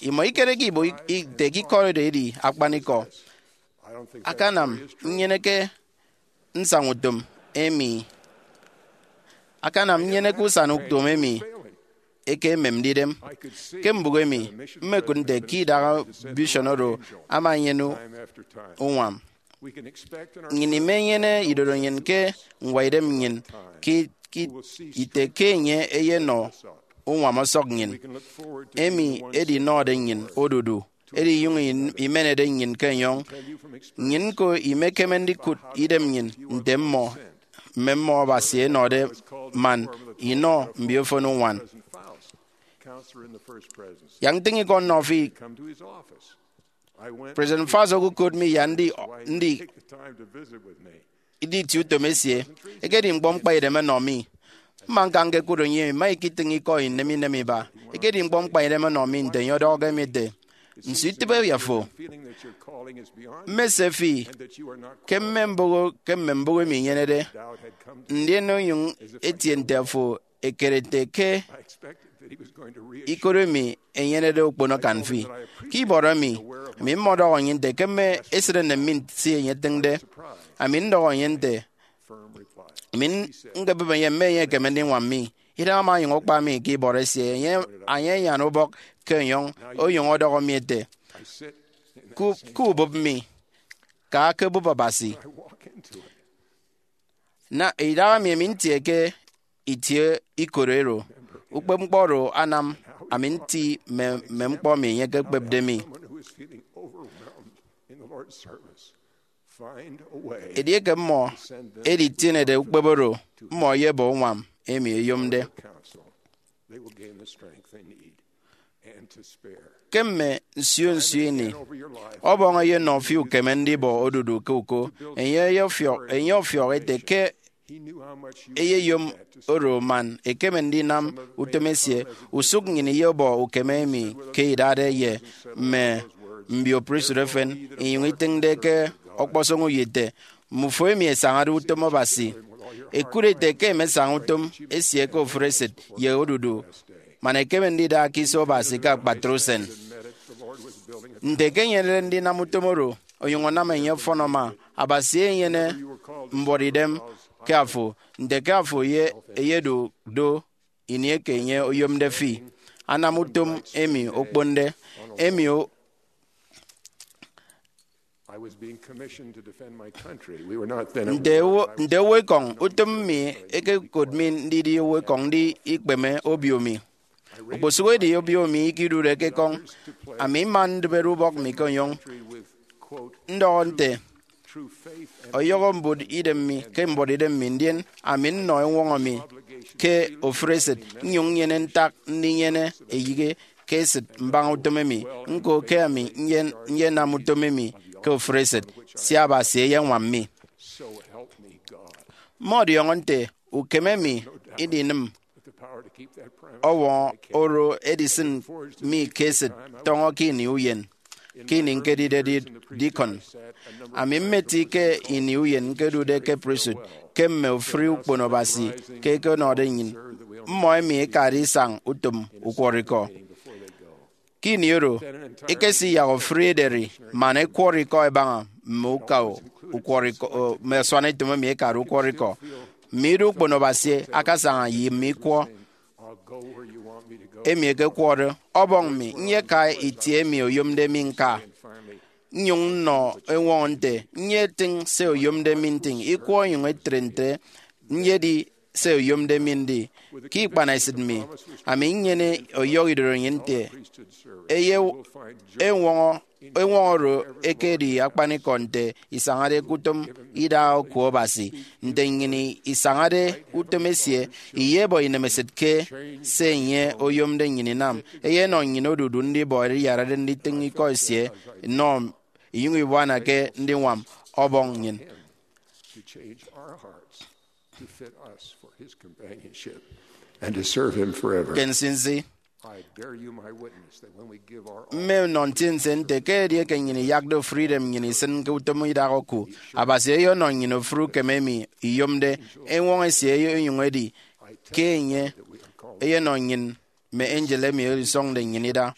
imọ ikereke ibo ite ke ikọ oro edi akpanikọ. Akanam nnyeneke nsaña utom emi, akanam nnyeneke usan utom emi eke ememde idem. Ke mbụk emi, mmekụt nte ke idaha vision oro ama enyene uñwam. Nnyịn imenyene idorenyin ke ñwaidem nnyịn ke, ke ite ke enye eyenọ uñwam ọsọk nnyịn, emi edinọde nnyịn odudu, edinyụñ imenede nnyịn ke enyọñ. Nnyịn ñko imekeme ndikụt idem nnyịn nte mmọ, mme mmọ Abasi ẹnọde man inọ mbiofen uñwam. Yak ntịñ ikọ nnọ fi. President Faust okokot mi ya ndi, ndi, nditie utom esie. Ekedi ñkpọ mkpaidem ọnọ mi. Mma ñka ñkekot enye, mma ikitịñ ikọ inem inem iba. Ekedi ñkpọ mkpaidem ọnọ mi nte enye ọdọhọke mi ete, nso itịbe ye afo? Mmese fi ke mme mbụk, ke mme mbụk emi inyenede, ndien onyụñ etie nte afo ekere nte ke ikot emi enyenede okpono akan fi. Ke ibọrọ emi, ami mmọdọhọ nnyịn nte ke mme esịt enem mi nte se enye etịñde. Ami ndọhọ enye nte, ami ñkebịp enye mme enye ekeme ndiñwam mi. Idaha ama onyụñ akpa mi ke ibọrọ esie, enye, enye anyan ubọk ke enyọñ, onyụñ ọdọhọ mi ete, ku, ku ubịp mi, ka ke bụp Abasi. Na idaha emi, ami ntie ke itie ikot ero. Ukpepñkpọ oro anam ami nti mme, mme ñkpọ emi enye ekekpepde mi. Edieke mmọ editienede ukpep oro, mmọ ẹyebọ uñwam emi ẹyomde. Ke mme nsio nsio ini, Ọbọñ eyenọ fi ukeme ndibọ odudu ke uko. Enye ọfiọk, enye ọfiọk ete ke eyeyom oro man ekeme ndinam utom esie. Usụk nnyịn iyebọ ukeme emi ke idade ye mme mbio pristut efen, inyụñ itịñde ke ọkpọsọñ uyo ite, Mmufo emi ẹsañade utom Abasi, Ekut ete ke emesaña utom esie ke ofụri esịt ye odudu, man ekeme ndida ke iso Abasi ke akpatre usen. Nte ke enyenede ndinam utom oro onyụñ anam enye ọfọn, ama Abasi enyene mbuọtidem ke afo, nte ke afo ye eyedu do ini eke enye oyomde fi. Anam utom emi okponde, emi o- I was being commissioned to defend my country. We were not then at nte war. Owo, nte owoekọñ, utom mi ekekot mi ndidi owoekọñ ndi ikpeme obio mi. Okposụkedi obio mi ikidude ke ekọñ, ami mma ndịbede ubọk mi ke onyụñ ndọhọ nte, ọyọhọ mbuọtidem mi ke mbuọtidem mi, ndien ami nnọ eñwọñọ mi ke ofụri esịt, nnyụñ nnyene ntak ndinyene eyịghe ke esịt mbaña utom emi. Ñko ke ami nyen-, nyenam utom emi ke ofụri esịt, sia Abasi eyeñwam mi. Mmọdiọñọ nte ukeme mi idinịm ọwọñọ oro edisịn mi ke esịt tọñọ ke ini uyen. Ke ini ñkedide di-, dikọn, ami mmeti ke ini uyen ñkedude ke pristut ke mme ofụri ukpono Abasi ke ẹkenọde nnyịn. Mmọ emi ẹkade isañ utom ukwọrọikọ. Ke ini oro, ẹkesiyak ofụri ederi man ẹkwọrọ ikọ ẹbaña mme uka ukwọrọikọ, mme asuanetop emi ẹkade ukwọrọikọ. Mme ido ukpono Abasi akasaña ye mme ikwọ emi ẹkekwọde, Ọbọñ mi, nyeka itie emi oyomde mi ñka. Nnyụñ nnọ eñwọñọ nte, nyetịñ se oyomde mi ntịñ, ikwọ onyụñ etre ntre, nyedi se oyomde mi ndi. Ke ikpanesịt mi, ami nnyene ọyọhọ idoro nnyịn nte, eye eñwọñọ, eñwọñọ oro ekedi akpanikọ nte isañade ke utom idaha oku Abasi. Nte nnyịn isañade utom esie, iyebọ inemesịt ke se enye oyomde nnyịn inam. Eyenọ nnyịn odudu ndibọ ediyarade nditịñ ikọ esie nnọ inyụñ ibuana ke ndiñwam Ọbọñ nnyịn. To change our hearts to fit us for his companionship and to serve him forever. Ke nsinsi, I bear you my witness that when we give our all, mme nnọ ntiense nte ke edieke nnyịn iyakde ofụri idem nnyịn isịn ke utom idaha oku, Abasi eyenọ nnyịn ofụri ukeme emi iyomde, eñwọñọ esie onyụñ edi ke enye eyenọ nnyịn mme angel emi edisọñde nnyịn ida.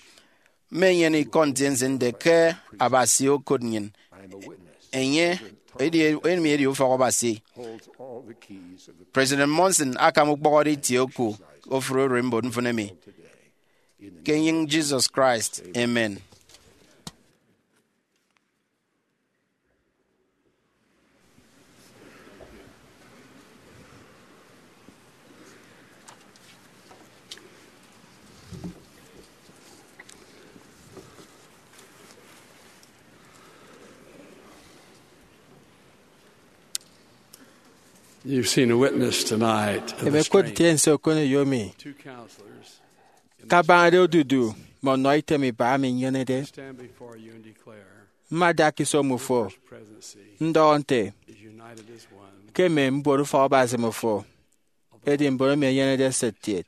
Mmenyene ikọ ntiense nte ke Abasi okot nnyịn. Enye edi, emi edi ufọk Abasi. President Monson akam ukpọhọde itie oku ofụri oro mbon mfịn emi. Ke enyịñ Jesus Christ, amen. You've seen a witness tonight of the Emekot strength ntiense okoneyo mi. Two counselors kabañade odudu mme ọnọ item iba ami nyenede. Stand before you and declare, mmada ke iso mmufo, presidency ndọhọ nte, is united as one. Ke mme mbuot ufọk Abasi mmufo edi mbon emi ẹnyenede esịt kiet.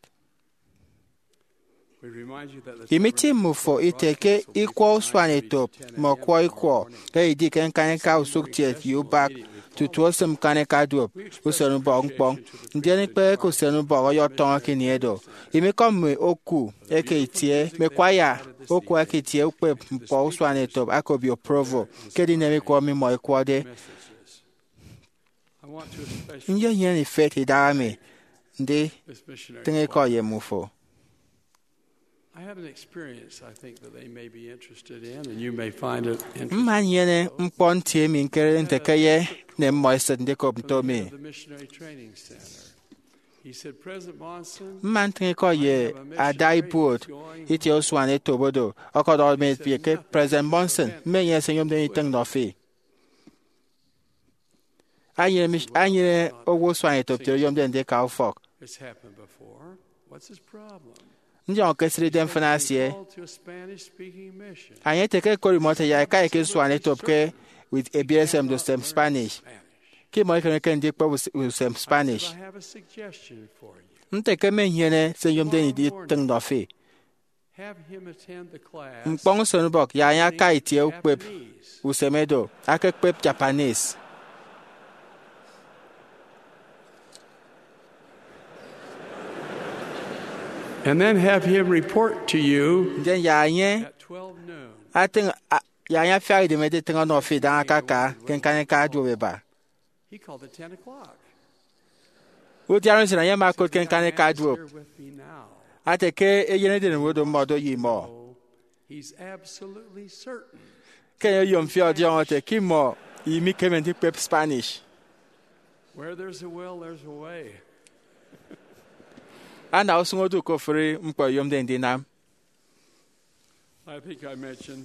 We remind you that the imiti mmufo ite ke ikwọ usuanetop mme ọkwọ ikwọ eyedi ke ñkañika usụkkiet ye ubak tutu osịm ñkañika duop usenubọk ñkpọñ, ndien ikpehe ke usenubọk ọyọtọñọ ke ini edo. Imikọ mme oku eke itie mme kwaya oku eke itie ukpep ñkpọ usuanetop aka obio Provo ke edinem ikwọ emi mmọ ẹkwọde. Nyenyene ifet idaha mi nditịñ ikọ ye mmufo. I have an experience I think that they may be interested in, and you may find it interesting. Mma nnyene ñkpọ nti emi ñkerede nte ke eyenem mmọ esịt ndikop nto mi. The Missionary Training Center. He said, President Monson, mma ntịñ ikọ ye ada ibuot itie usuanetop oro ọkọdọhọde mi ete ke, President Monson, mmenyene se nyomde nditịñ nnọ fi. Anyene mi, anyene owo usuanetop kiet oyomde ndika ufọk. It's happened before. What's his problem? Ndiọñọke esịt idem mfịna esie. Called to a Spanish-speaking mission. Enye ete ke ẹkot imọ ẹte ẹyak ẹka eke usuanetop ke ebiet esem ndusem Spanish. Ke imọ ikemeke ndikpep us-, usem Spanish. I have a suggestion for you. Nte ke mmenyene se nyomde nditịñ nnọ fi. Have him attend the class. Ñkpọñ usenubọk, yak enye aka itie ukpep usem edo, akekpep Japanese. And then have him report to you. Ndien yak enye at twelve noon. Atịñ a- yak enye afiak idem editịñ ọnọ fi idaña akaka ke ñkanika duop eba. He called at ten o'clock. Udiana usen enye ama okụt ke ñkanika duop, here with me now. Ate ke eyen edinen oro mmọdo ye imọ. He's absolutely certain. Ke enye oyom fi ọdiọñọ ete ke imọ imikeme ndikpep Spanish. Where there's a will, there's a way. Ana usụñ odu ke ofụri ñkpọ ẹyomde ndinam. I think I mentioned,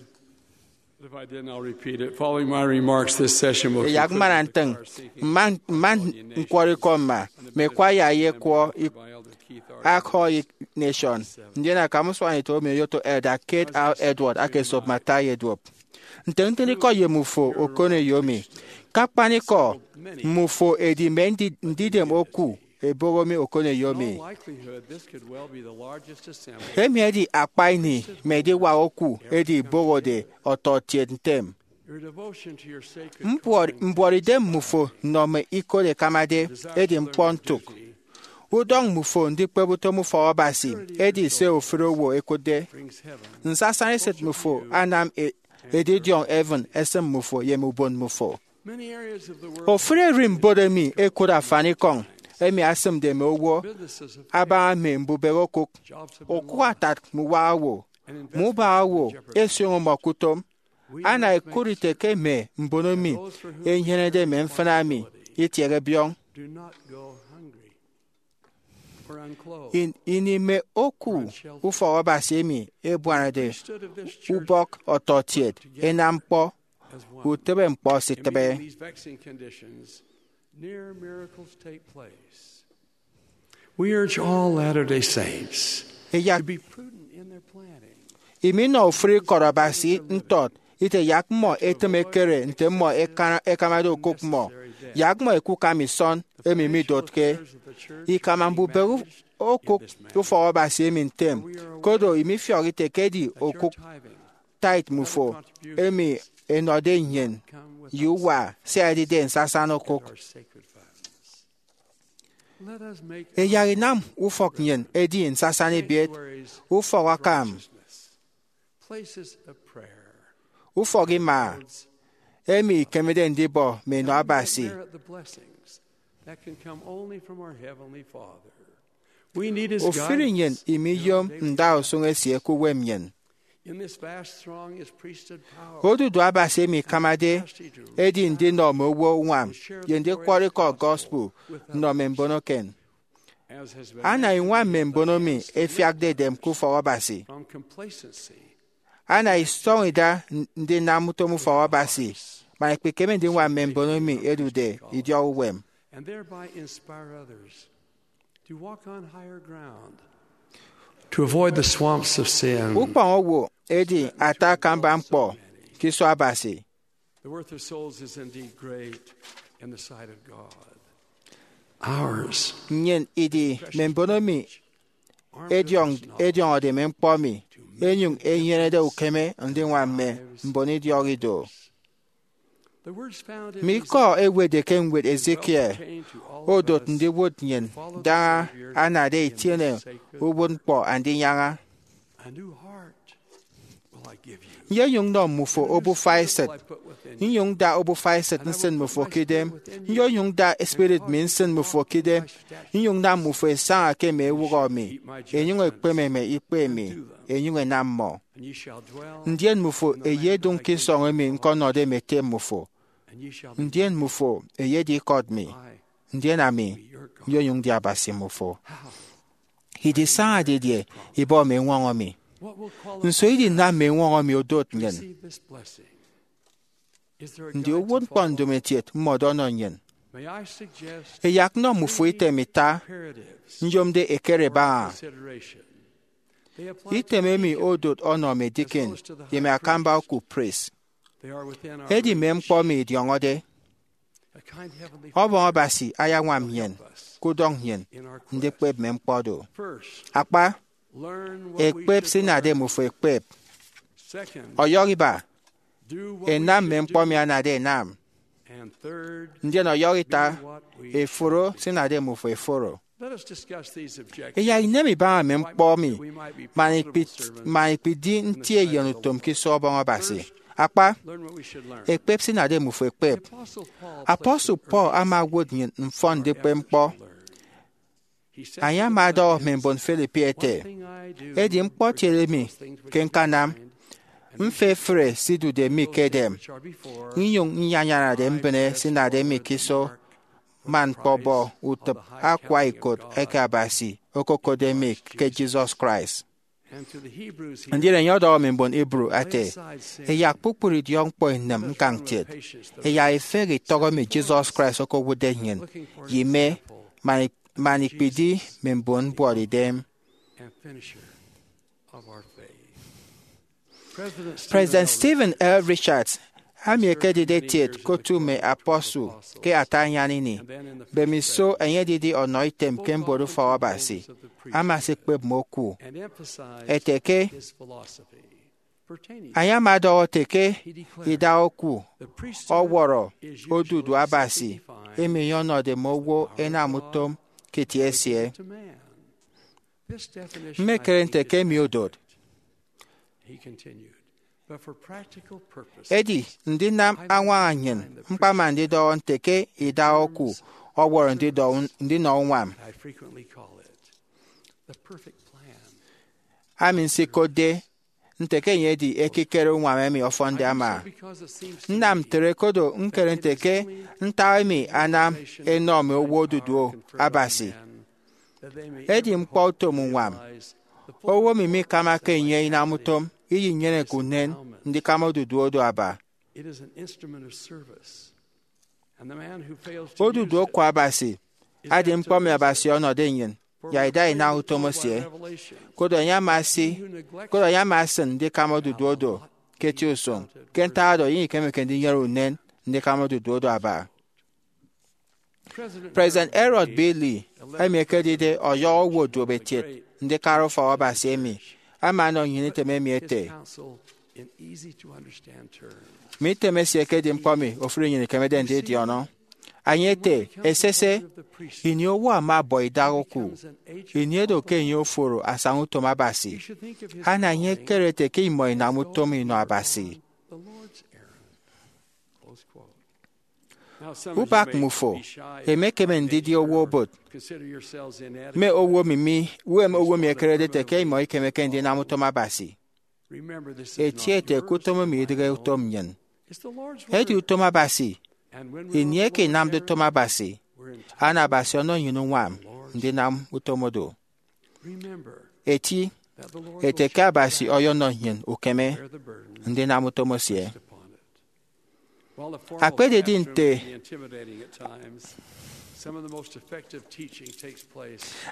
but if I didn't, I'll repeat it. Following my remarks, this session will Eyak conclude mana with ntịñ, our seeking mma mma quality nation nkwọrọ ikọ mma, and the me kwaya ye ministry kwọ by Elder Keith R. Ak Hoy Nation. Ndien akam usuanito emi oyoto Elder Kate R. Edward aka esop ma ata ye duop. Ntịñ ntịñikọ ye mmufo okoneyo mi. Ke akpanikọ, mmufo ẹdi mme ndi- ndidem oku eboho mi okoneyo mi. Emi edi akpa ini mme ediwak oku edi ibohode ọtọkiet ntem. Mbuọt- mbuọtidem mmufo nnọ mme ikot ẹkamade edi ñkpọ ntụk. Udọñ mmufo ndikpep utom ufọk Abasi edi se ofụri owo ẹkụtde. Nsasaña esịt mmufo anam e- edidiọñ heaven esịm mmufo ye mme ubon mmufo. Ofụri ererimbot emi ẹkot afanikọñ emi asịmde mme owo abaña mme mbubehe okụk, okụk atat mme uwaha owo, mme ubaha owo ẹsioño mmọ ke utom. Ana ẹkụt ite ke mme mbono emi ẹnyenede mme mfịna emi itiehe biọñ. In- ini mme oku ufọk Abasi emi ẹbuanade ubọk ọtọkiet ẹnam ñkpọ, utịbe ñkpọ esitịbe. We urge all Latter-day Saints Eyak to be prudent in their planning. Iminọ ofụri kọt Abasi ntọt ite yak mmọ ẹtịm ẹkere nte mmọ ẹkara- ẹkamade okụk mmọ. Yak mmọ ẹkukam isọn emi midotke ikama mbubehe u- okụk ufọk Abasi emi ntem, koro imifiọk ite ke edi okụk tithe mmufo emi ẹnọde nnyịn ye uwa sia edide nsasaña okụk. Eyak inam ufọk nnyịn edi nsasaña ebiet, ufọk akam, ufọk ima, emi ikemede ndibọ mme enọ Abasi. Ofụri nnyịn imiyom ndausụñ esie ke uwem nnyịn. Odudu Abasi emi ikamade edi ndinọ mme owo uñwam ye ndikwọrọ ikọ gospel nnọ mme mbono eken. Ana iñwam mme mbono mi ẹfiakde edem ke ufọk Abasi. Ana isọñ ida n- ndinam utom ufọk Abasi, man ikpikeme ndiñwam mme mbono mi ẹdude idiọk uwem. And thereby inspire others to walk on higher ground, to avoid the swamps of sin. Ukpọñ owo edi ata akamba ñkpọ ke iso Abasi. The worth of souls is indeed great in the sight of God. Ours. Nnyịn idi mme mbono mi ediọñ- ediọñọde mme ñkpọ mi, enyụñ enyenede ukeme ndiñwam mme mbon idiọk ido. Mi ikọ ewetde ke ñwed Ezekiel odot ndiwụt nnyịn daña anade itiene uwụtñkpọ Andinyaña. Nyenyụñ nnọ mmufo obufa esịt, nnyụñ da obufa esịt nsịn mmufo ke idem. Nyenyụñ da spirit mi nsịn mmufo ke idem, nnyụñ nam mmufo ẹsaña ke mme ewụhọ mi, ẹnyụñ ẹkpeme mme ikpe mi, ẹnyụñ ẹnam mmọ. Ndien mmufo ẹyedụñ ke isọñ emi ñkọnọde mme ete mmufo. Ndien mmufo ẹyedi ikọt mi, ndien ami nyenyụñ ndi Abasi mmufo. Idisaña didie ibọ mme eñwọñọ mi? Nso idinam mme eñwọñọ mi odot nnyịn? Ndi uwụtñkpọ ndomokiet mmọdo ọnọ nnyịn? Eyak nnọ mmufo item ita nyomde ekere ẹbaña. Item emi odot ọnọ mme deacon ye mme akamba oku priest. Edi mme ñkpọ emi idiọñọde. Ọbọñ Abasi ayañwam nnyịn, kudọñ nnyịn ndikpep mme ñkpọ do. Akpa, ekpep se inade mmufo ẹkpep. Ọyọhọ iba, ẹnam mme ñkpọ emi anade ẹnam. Ndien ọyọhọ ita, ẹforo se inade mmufo ẹforo. Iyai inem ibaña mme ñkpọ emi man ikpidi nti eyen utom ke iso ọbọñ Abasi. Akpa, ekpep se inade mmufo ekpep. Apostle Paul ama owot nnyịn mfọn ndikpep ñkpọ. Enye ama ọdọhọ mme mbon Philippi ete, edi ñkpọtiede mi ke ñkanam, mfefre se idude mi ke edem, nnyụñ nyanyanade mbịne se inade mi ke iso, man ñkpọbọ utịp akwa ikot eke Abasi okokotde mi ke Jesus Christ. Ndien enye ọdọhọ mme mbon Hebrew ete, eyak kpukpru idiọkñkpọ inịm ñkañ kiet, eyak ifehe itọk emi Jesus Christ okowụtde nnyịn, ye ime, man ikpidi mme mbon mbuọtidem. President Stephen L. Richards, ami ekedide etiet ke otu mme apostle ke ata anyan ini, mbemiso enye edidi ọnọ item ke mbuọt ufọk Abasi, ama esikpep mme oku ete ke, enye ama ọdọhọ ete ke idak oku ọwọrọ odudu Abasi emi enye ọnọde mme owo ẹnam utom ke itie esie. Mmekere nte ke emi odot. Edi ndinam añwaña nnyịn ñkpama ndidọhọ nte ke idak oku ọwọrọ ndinọ uñwam, ami nsikotde nte ke enye edi ekikere uñwam emi ọfọnde ama. Nnam ntre kodo ñkere nte ke ntak emi anam ẹnọ mme owo odudu Abasi edi ñkpọ utom uñwam. Owo emi mikamakake enye inam utom, iyinyeneke unen ndikama odudu odo aba. Odudu oku Abasi edi ñkpọ emi Abasi ọnọde nnyịn, ya ida inam utom esie. Koro enye ama esi, koro enye ama esịn ndikama odudu odo ke eti usụñ. Ke ntak oro, enye ikemeke ndinyene unen ndikama odudu odo aba. President Harold B. Lee, emi ekedide ọyọhọ owo duop etiet ndikara ufọk Abasi emi, ama ọnọ nnyịn item emi ete, mme item esie ekedi ñkpọ emi ofụri nnyịn ikemede ndidiọñọ. Enye ete, esese, ini owo ama ọbọ idak oku, ini edo ke enye oforo asaña utom Abasi, ana enye ekere ete ke imọ inam utom inọ Abasi. Ubak mmufo emekeme ndidi owo obot, mme owo emi mi, uwem owo emi ekerede ete ke imọ ikemeke ndinam utom Abasi. Eti ete ke utom emi idịghe utom nnyịn, edi utom Abasi. Ini eke inamde utom Abasi, ana Abasi ọnọ nnyịn uñwam ndinam utom odo. Eti ete ke Abasi ọyọnọ nnyịn ukeme ndinam utom esie. Akpededi nte,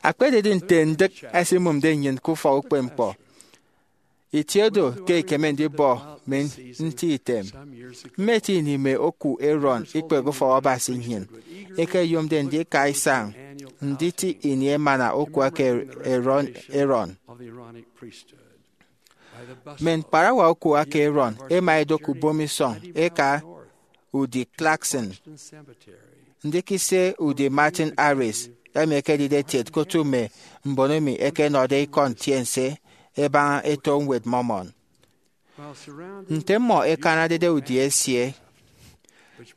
akpededi nte ndịk ẹsimụmde nnyịn ke ufọk ukpepñkpọ, itie do ke ikeme ndibọ mme nti item. Mmeti ini mme oku Aaron ikpehe ufọk Abasi nnyịn, ẹkeyomde ndika isañ nditi ini emana oku eke Aaron. Mme ñkparawa oku eke Aaron ẹma ẹdọk ubom isọñ ẹka udi Clarkson, ndikise udi Martin Harris, emi ekedide etiet ke otu mme mbon emi ẹkenọde ikọ ntiense ẹbaña eto Ñwed Mormon. Nte mmọ ẹkananede udi esie,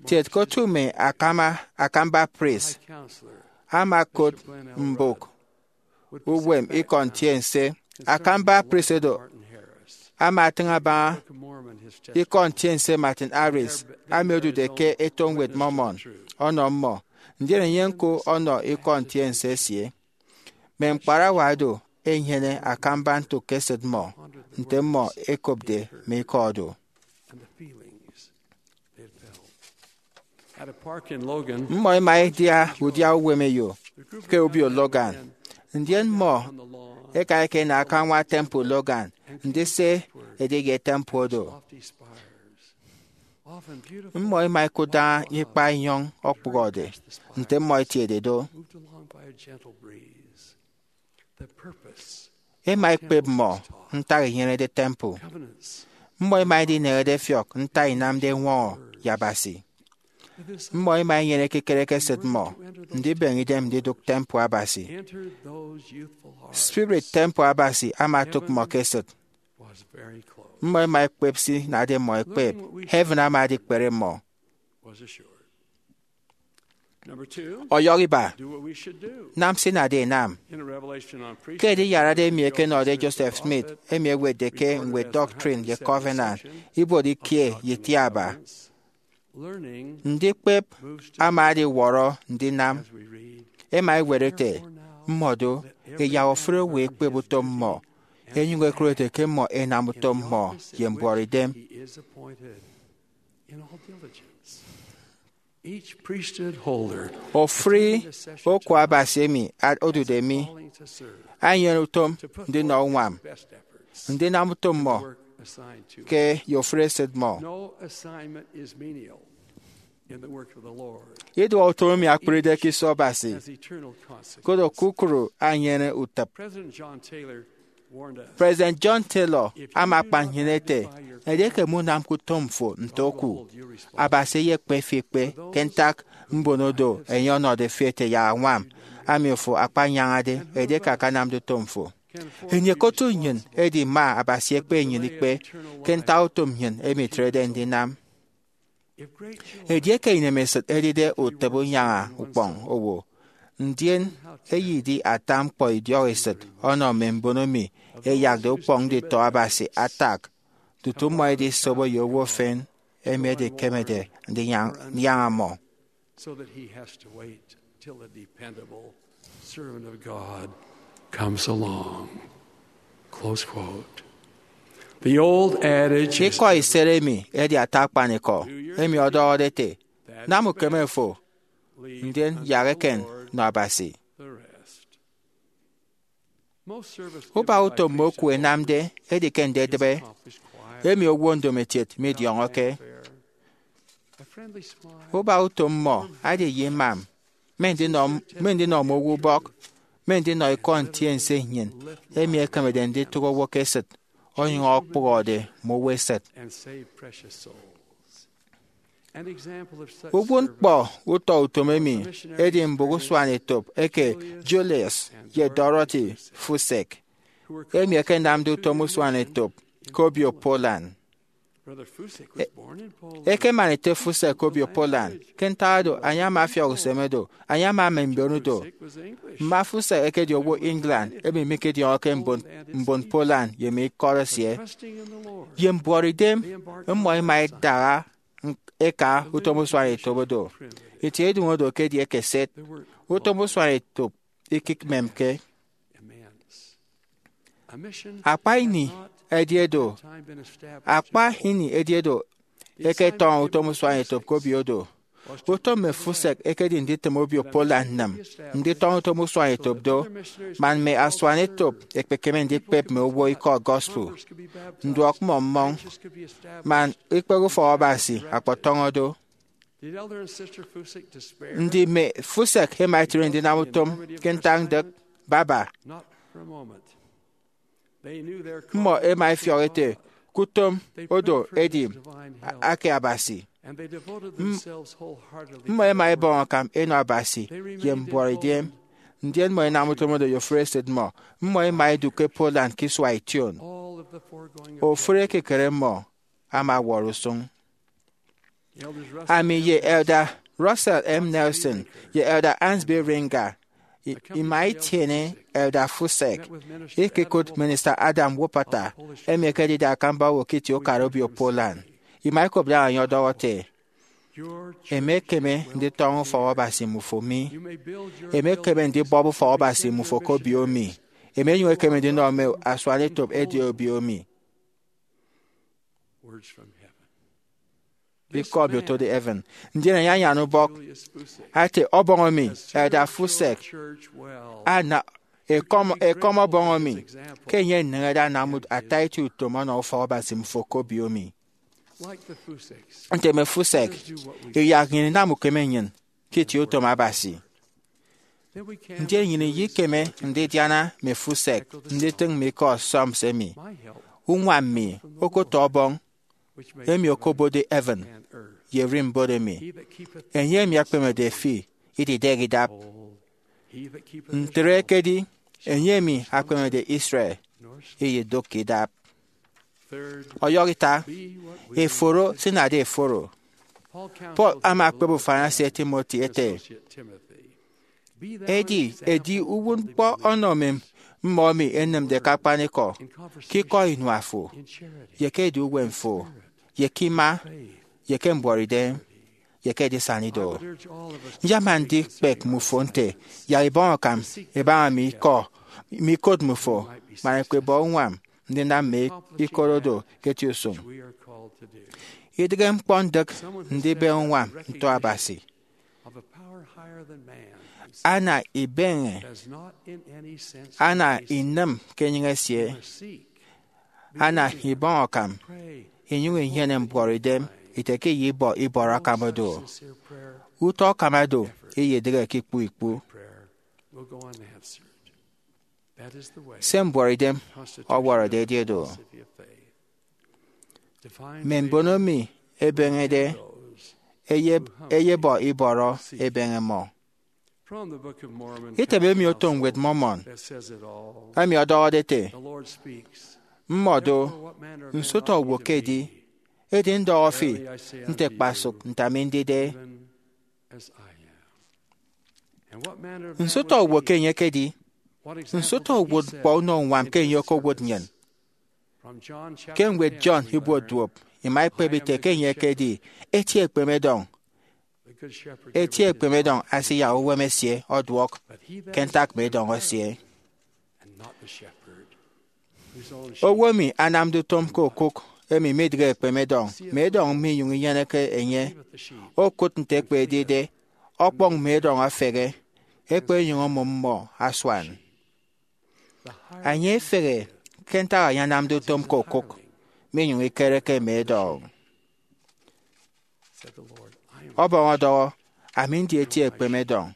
tiet ke otu mme akama, akamba priest ama okot mbụk uwem ikọ ntiense. Akamba priest oro ama atịñ abaña ikọ ntiense Martin Harris, ami odude ke eto Ñwed Mormon, ọnọ mmọ, ndien enye ñko ọnọ ikọ ntiense esie. Mme ñkparawa oro ẹnyene akamba ntụk ke esịt mmọ, nte mmọ ẹkopde mme ikọ oro. Mmọ ẹma ẹdia udia uwem eyo ke obio Logan, ndien mmọ ẹka ẹkenọ akañwam temple Logan, ndise ẹdịghe temple oro. Mmọ ẹma ẹkụt daña ikpa enyọñ okpụhọde, nte mmọ ẹtiede do. Ẹma ẹkpep mmọ ntak inyenede temple. Mmọ ẹma ẹdineñede ẹfiọk ntak inamde ẹñwọñọ ye Abasi. Mmọ ema enyene ekikere ke esịt mmọ ndibeñe idem ndidụk temple Abasi. Spirit temple Abasi ama otụk mmọ ke esịt. Mmọ ema ekpep se inade mmọ ekpep. Heaven ama adikpere mmọ. Ọyọhọ iba, nam se inade inam. Ke Ediyarade emi ẹkenọde Joseph Smith, emi ẹwetde ke ñwed Doctrine ye Covenant, ibuot ikie ye itiaba, ndikpep ama adiwọrọ ndinam. Ẹma ẹwet ete, mmọdo, ẹyak ofụri owo ekpep utom mmọ, ẹnyụñ ẹkụt ete ke mmọ ẹnam utom mmọ ye mbuọtidem. Ofụri oku Abasi emi odude mi enyene utom ndinọ uñwam ndinam utom mmọ ke ye ofụri esịt mmọ. Iduọk utom emi akpụride ke iso Abasi, koro kpukpru enyene utịp. President John Taylor ama akpan nnyịn ete, edieke munamke utom fo nte oku, Abasi eyekpe fi ekpe ke ntak mbono do enye ọnọde fi ete yak añwam ami ofo akpanyañade edieke akanamde utom fo. Ini okotu nnyịn edi ma Abasi ekpe nnyịn ikpe ke ntak utom nnyịn emi itrede ndinam. Edieke inemesịt edide utịp unyaña ukpọñ owo, ndien eyedi ata ñkpọ idiọk esịt ọnọ mme mbono emi ẹyakde ukpọñ nditọ Abasi atak, tutu mmọ ẹdisobo ye owo efen emi edikemede ndinyaña mmọ. Ikọ iset emi edi ata akpanikọ emi ọdọhọde ete, nam ukeme fo, ndien yak eken nọ Abasi. Ubak utom mme oku ẹnamde edi ke ndedịbe emi owo ndomokiet midiọñọke. Ubak utom mmọ edi ye imam, mme ndinọ mme ndinọ mme owo ubọk, mme ndinọ ikọ ntiense nnyịn emi ẹkemede nditụk owo ke esịt onyụñ ọkpụhọde mme owo esịt. Uwụtñkpọ utọ utom emi edi mbụk usuanetop eke Julius ye Dorothy Fussek, emi ẹkenamde utom usuanetop ke obio Poland. Ekeman ete Fussek ke obio Poland. Ke ntak oro, enye ama afiọk usem do, enye ama ama mbon do. Mma Fussek ẹkedi owo England emi mikediọñọke mbon mbon Poland ye mme ikọt esie. Ye mbuọtidem, mmọ ẹma ẹdaha ẹka utom usuanetop do. Itie idụñ oro ekedi ekeset. Utom usuanetop ikikpemke. Akpa ini ẹdi edo, akpa ini ẹdi edo ẹketọñọ utom usuanetop ke obio do. Utom mme Fussek ekedi nditịm obio Poland nnịm nditọñọ utom usuanetop do, man mme asuanetop ẹkpekeme ndikpep mme owo ikọ gospel, nduọk mmọ mmọñ, man ikpehe ufọk Abasi akpọtọñọ do. Ndi mme Fussek ẹma ẹtre ndinam utom ke ntañdịk? Baba. Mmọ ẹma ẹfiọk ete ke utom oro edi ake Abasi. Mmọ ẹma ẹbọñ akam ẹnọ Abasi ye mbuọtidem, ndien mmọ ẹnam utom oro ye ofụri esịt mmọ. Mmọ ẹma ẹdu ke Poland ke isua ition. Ofụri ekikere mmọ ama ọwọrọ usụñ. Ami ye Elder Russell M. Nelson ye Elder Hans B. Ringer ima itiene Elder Fussek ikekụt Minister Adam Woperter, emi ekedide akamba owo ke itie ukara obio Poland. Ima ikop daña enye ọdọhọ ete, emekeme nditọñọ ufọk Abasi mmufo mi. Emekeme ndibọp ufọk Abasi mmufo ke obio mi. Emenyụñ ekeme ndinọ mme asuanetop ẹdi obio mi. Ikọ emi otode heaven. Ndien enye anyan ubọk ate, ọbọñ emi Elder Fussek ana ekọm ekọm ọbọñ emi ke enye eneñede anam ata eti utom ọnọ ufọk Abasi mmufo ke obio mi. Nte mme Fussek, iyak nnyịn inam ukeme nnyịn ke itie utom Abasi. Ndien nnyịn iyekeme ndidiana mme Fussek nditịñ mme ikọ Psalms emi, uñwam mi okotọ ọbọñ emi okobotde heaven ye ererimbot emi. Enye emi ekpemede fi ididek idap. Ntre ekedi enye emi akpemede Israel iyeduk idap. Ọyọhọ ita, eforo se inade eforo. Paul ama ekpep ufan esie Timothy ete, edi edi uwụtñkpọ ọnọ mmọ emi ẹnịmde ke akpanikọ, ke ikọ inua fo, ye ke edu uwem fo, ye ke ima, ye ke mbuọtidem, ye ke edisana ido. Nyama ndikpep mmufo nte yak ibọñ akam ibaña mme ikọ, mme ikot mmufo, man ẹkpebọ uñwam ndinam mme ikot oro ke eti usụñ. Idịghe ñkpọ ndịk ndibe uñwam nto Abasi. Ana ibeñe, ana inịm ke enyịñ esie, ana ibọñ akam, inyụñ inyene mbuọtidem ite ke iyibọ ibọrọ akam do. Utọ akam do iyedịghe ke ikpu ikpu. Se mbuọtidem ọwọrọde edi do. Mme mbon emi ẹbeñede ẹyebọ ibọrọ, ẹbeñe mmọ. Item emi oto Ñwed Mormon emi ọdọhọde ete, mmọ do, nso utọ owo ke edi, edi ndọhọ fi nte kpasụk nte ami ndide. Nso utọ owo ke enye ekedi? Nso utọ uwụtñkpọ unọ uñwam ke enye okowụt nnyịn? Ke ñwed John ibuot duop, ima ikpep ite ke enye ekedi eti ekpemedọñ. Eti ekpemedọñ asiyak uwem esie ọduọk ke ntak mme edọñ esie. Owo emi anamde utom ke okụk emi midịghe ekpemedọñ, mme edọñ minyụñ inyeneke enye, okụt nte ekpe edide, ọkpọñ mme edọñ efehe, ekpe enyụñ omụm mmọ asuan. Enye efehe ke ntak enye anamde utom ke okụk, minyụñ ikereke mme edọñ. Ọbọñ ọdọhọ, ami ndi eti ekpemedọñ,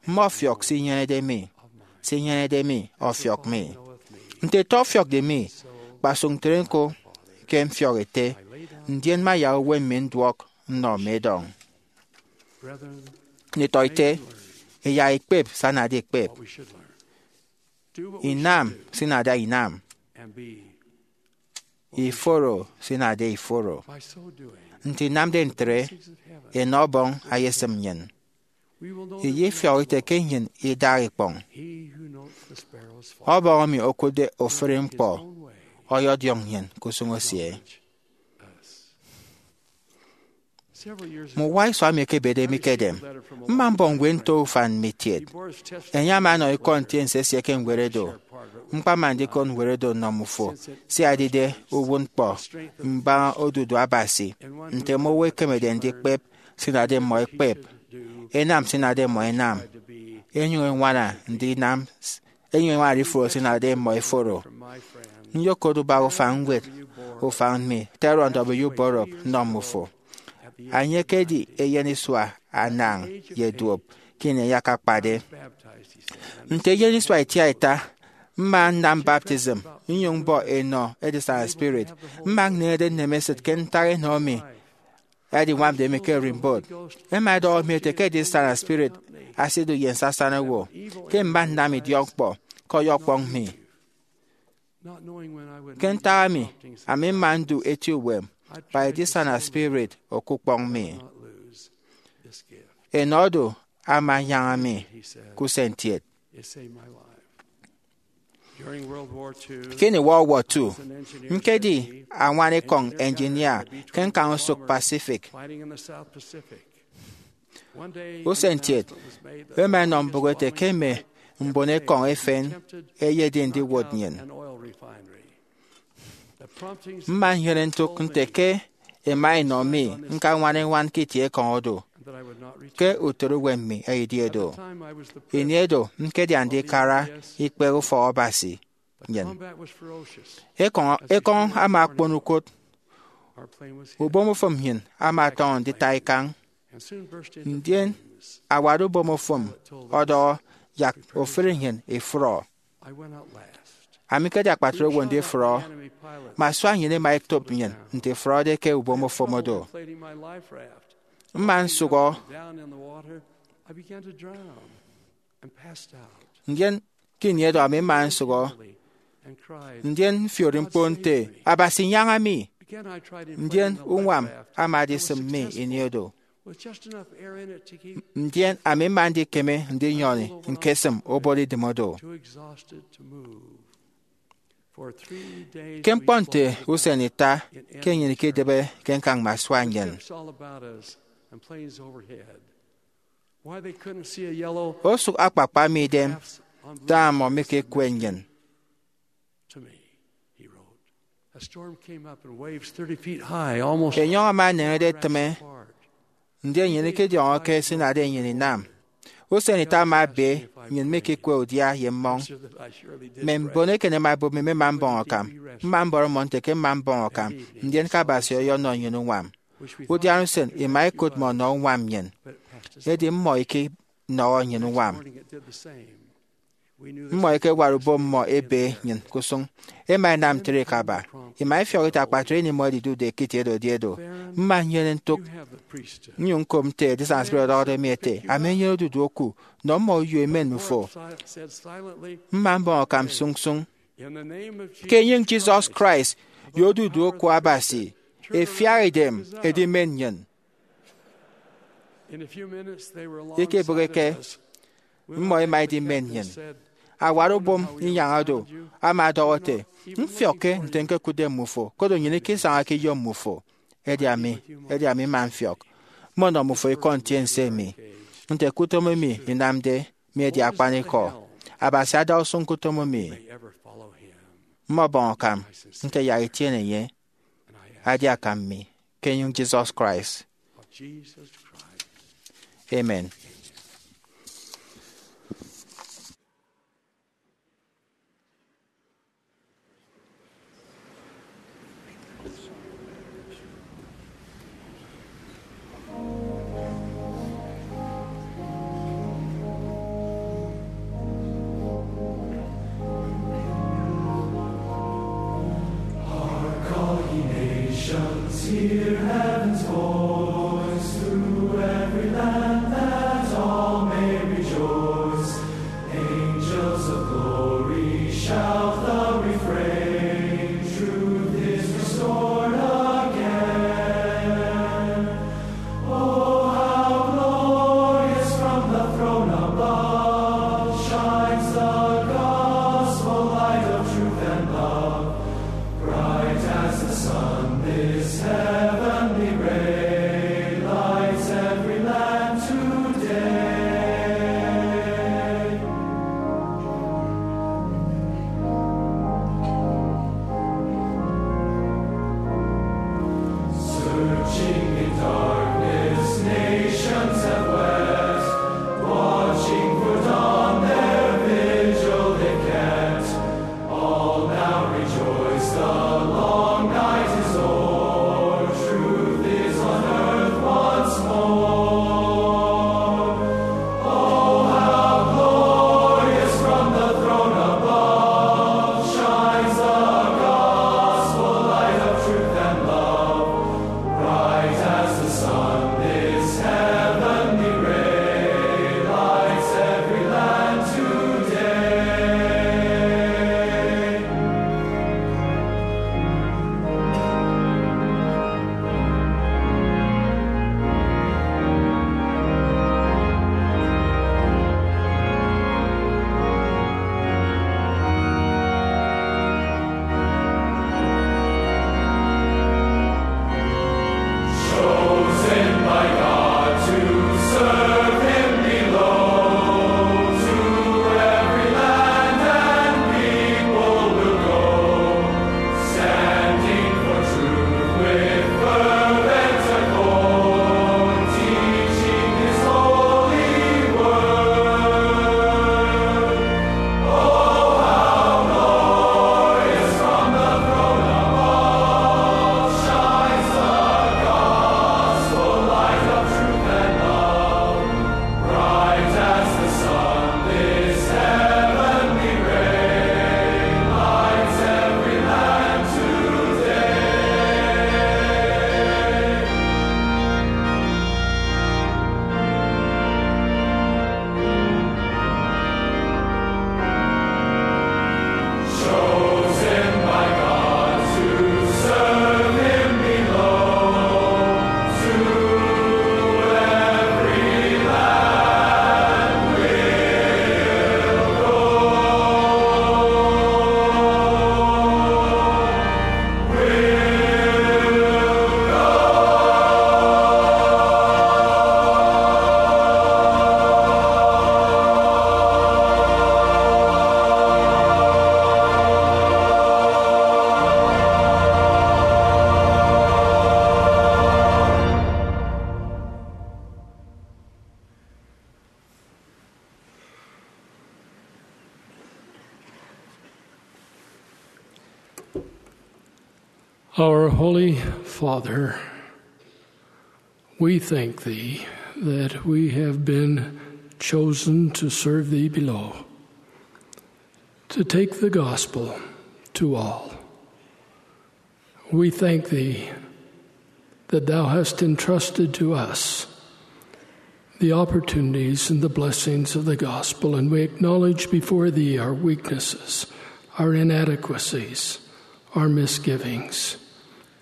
mmọfiọk se inyenede mi, se inyenede mi ọfiọk mi. Nte ete ọfiọkde mi, kpasụk ntre ñko ke mfiọk ete, ndien mmayak uwem mi nduọk nnọ mme edọñ. Nditọete, iyak ikpep se anade ikpep, inam se inade inam, iforo se inade iforo. Nte inamde ntre, enọ Ọbọñ eyesịm nnyịn. Iyefiọk ite ke nnyịn idaha ikpọñ. Ọbọñ emi okụtde ofụri ñkpọ ọyọdiọñ nnyịn ke usụñ esie. Mme uwa isua emi ẹkebede mi ke edem, mma mbọñ ñwed nto ufan mme itiet. Enye ama ọnọ ikọ ntiense esie ke ñwed oro. Ñkpama ndikot ñwed oro nnọ mmufo, sia edide uwụtñkpọ mbaña odudu Abasi, nte mme owo ẹkemede ndikpep se inade mmọ ẹkpep, ẹnam se inade mmọ ẹnam, ẹnyụñ ẹñwana ndinam, ẹnyụñ ẹñwanade iforo se inade mmọ ẹforo. Nyokot ubak ufan ñwed ufan mi Theron W. Borup nnọ mmufo. Enye ekedi eyen isua anañ ye duop ke ini enye akakpade. Nte eyen isua itiaita, mma nnam baptism, nnyụñ mbọ enọ edisana spirit. Mma nneñede nnem esịt ke ntak enọ emi ẹdiñwamde mi ke ererimbot. Ẹma ẹdọhọ mi ete ke edisana spirit asidu ye nsasana owo, ke mma nnam idiọkñkpọ ke ọyọkpọñ mi. Ke ntak emi, ami mma ndu eti uwem, kpa edisana spirit okukpọñ mi. Enọ do ama anyaña mi ke usentiet. Ke ini World War two, ñkedi añwanikọñ engineer ke ñkañ usụk Pacific. Usentiet, ẹma ẹnọ mbụk ete ke mme mbonekọñ efen ẹyedi ndiwot nnyịn. Mma nnyene ntụk nte ke ẹma ẹnọ mi ñkañwana iñwan ke itiekọñ oro, ke utịt uwem mi eyedi do. Ini oro ñkedi andikara ikpehe ufọk Abasi nnyịn. Ekọñ, ekọñ ama okpon ukot. Ubomofụm nnyịn ama ọtọñọ ndita ikañ. Ndien awat ubomofụm ọdọhọ yak ofụri nnyịn ifrọ. Ami ñkedi akpatre owo ndifrọ, mme asua nnyịn ẹma ẹtop nnyịn nte ifrọde ke ubomofụm oro. mma nsụhọ. Ndien ke ini edo ami mma nsụhọ, ndien mfiori ñkpo nte, "Abasi, nyaña mi!" Ndien uñwam ama edisịm mi ini edo. Ndien ami mma ndikeme ndinyọni ñkesịm obot idịm oro. Ke ñkpọ nte usen ita ke nnyịn ikidịbe ke ñkañ mme asua nnyịn, osụk akpakpa mi idem da mmọ mikekwe nnyịn. Enyọñ ama eneñede etịme, ndien nnyịn ikidiọñọ ke se inade nnyịn inam. Usen ita ama ebe nnyịn mikekwe udia ye mmọñ. Mme mbon eken ẹma ẹbụp mi mme mma mbọñ akam. Mma mbọrọ mmọ nte ke mma mbọñ akam, ndien ke Abasi ọyọnọ nnyịn uñwam. Udiana usen ima ikụt mmọ nọ uñwam nnyịn, edi mmọ ikinọhọ nnyịn uñwam. Mmọ ikewara ubom mmọ ebe nnyịn ke usụñ. Ẹma ẹnam ntre ikaba. Ima ifiọk ite akpatre ini mmọ ẹdidude ke itie edo edi edo. Mma nnyene ntụk nnyụñ ñkop nte edisana spirit ọdọhọde mi ete, "Ami nnyene odudu oku, nọ mmọ uyo emen mmufo." Mma mbọñ akam sụñsụñ. Ke enyịñ Jesus Christ ye odudu oku Abasi, efiak idem edimen nnyịn. Ikebịghike, mmọ ima idimen nnyịn. Awat ubom inyañ oro ama ọdọhọ ete, "Mfiọkke nte ñkekụtde mmufo, koro nnyịn ikisañake iyom mmufo." Edi ami, edi ami mma mfiọk. Mmọnọ mmufo ikọ ntiense emi, nte ke utom emi inamde mi edi akpanikọ. Abasi ada usụñ ke utom emi. Mmọbọñ akam nte yak itiene enye, adi akam mi, ke enyịñ Jesus Christ. Amen. Hear heaven's voice through every land that Our Holy Father, we thank Thee that we have been chosen to serve Thee below, to take the gospel to all. We thank Thee that Thou hast entrusted to us the opportunities and the blessings of the gospel, and we acknowledge before Thee our weaknesses, our inadequacies, our misgivings,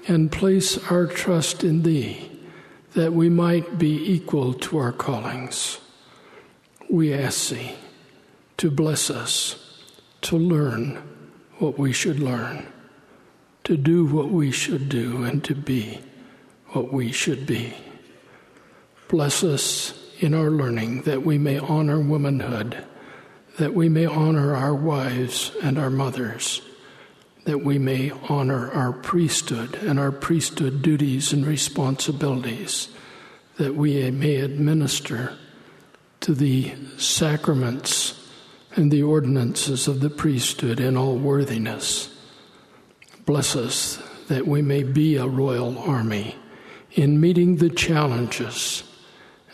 and place our trust in Thee that we might be equal to our callings. We ask Thee to bless us to learn what we should learn, to do what we should do, and to be what we should be. Bless us in our learning that we may honor womanhood, that we may honor our wives and our mothers, that we may honor our priesthood and our priesthood duties and responsibilities, that we may administer to the sacraments and the ordinances of the priesthood in all worthiness. Bless us that we may be a royal army in meeting the challenges,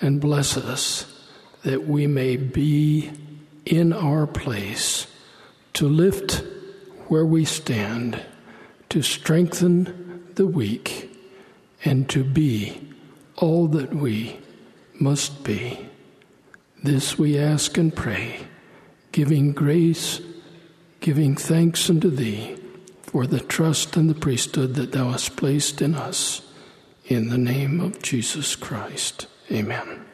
and bless us that we may be in our place to lift where we stand, to strengthen the weak, and to be all that we must be. This we ask and pray, giving grace, giving thanks unto Thee for the trust and the priesthood that Thou hast placed in us. In the name of Jesus Christ, amen.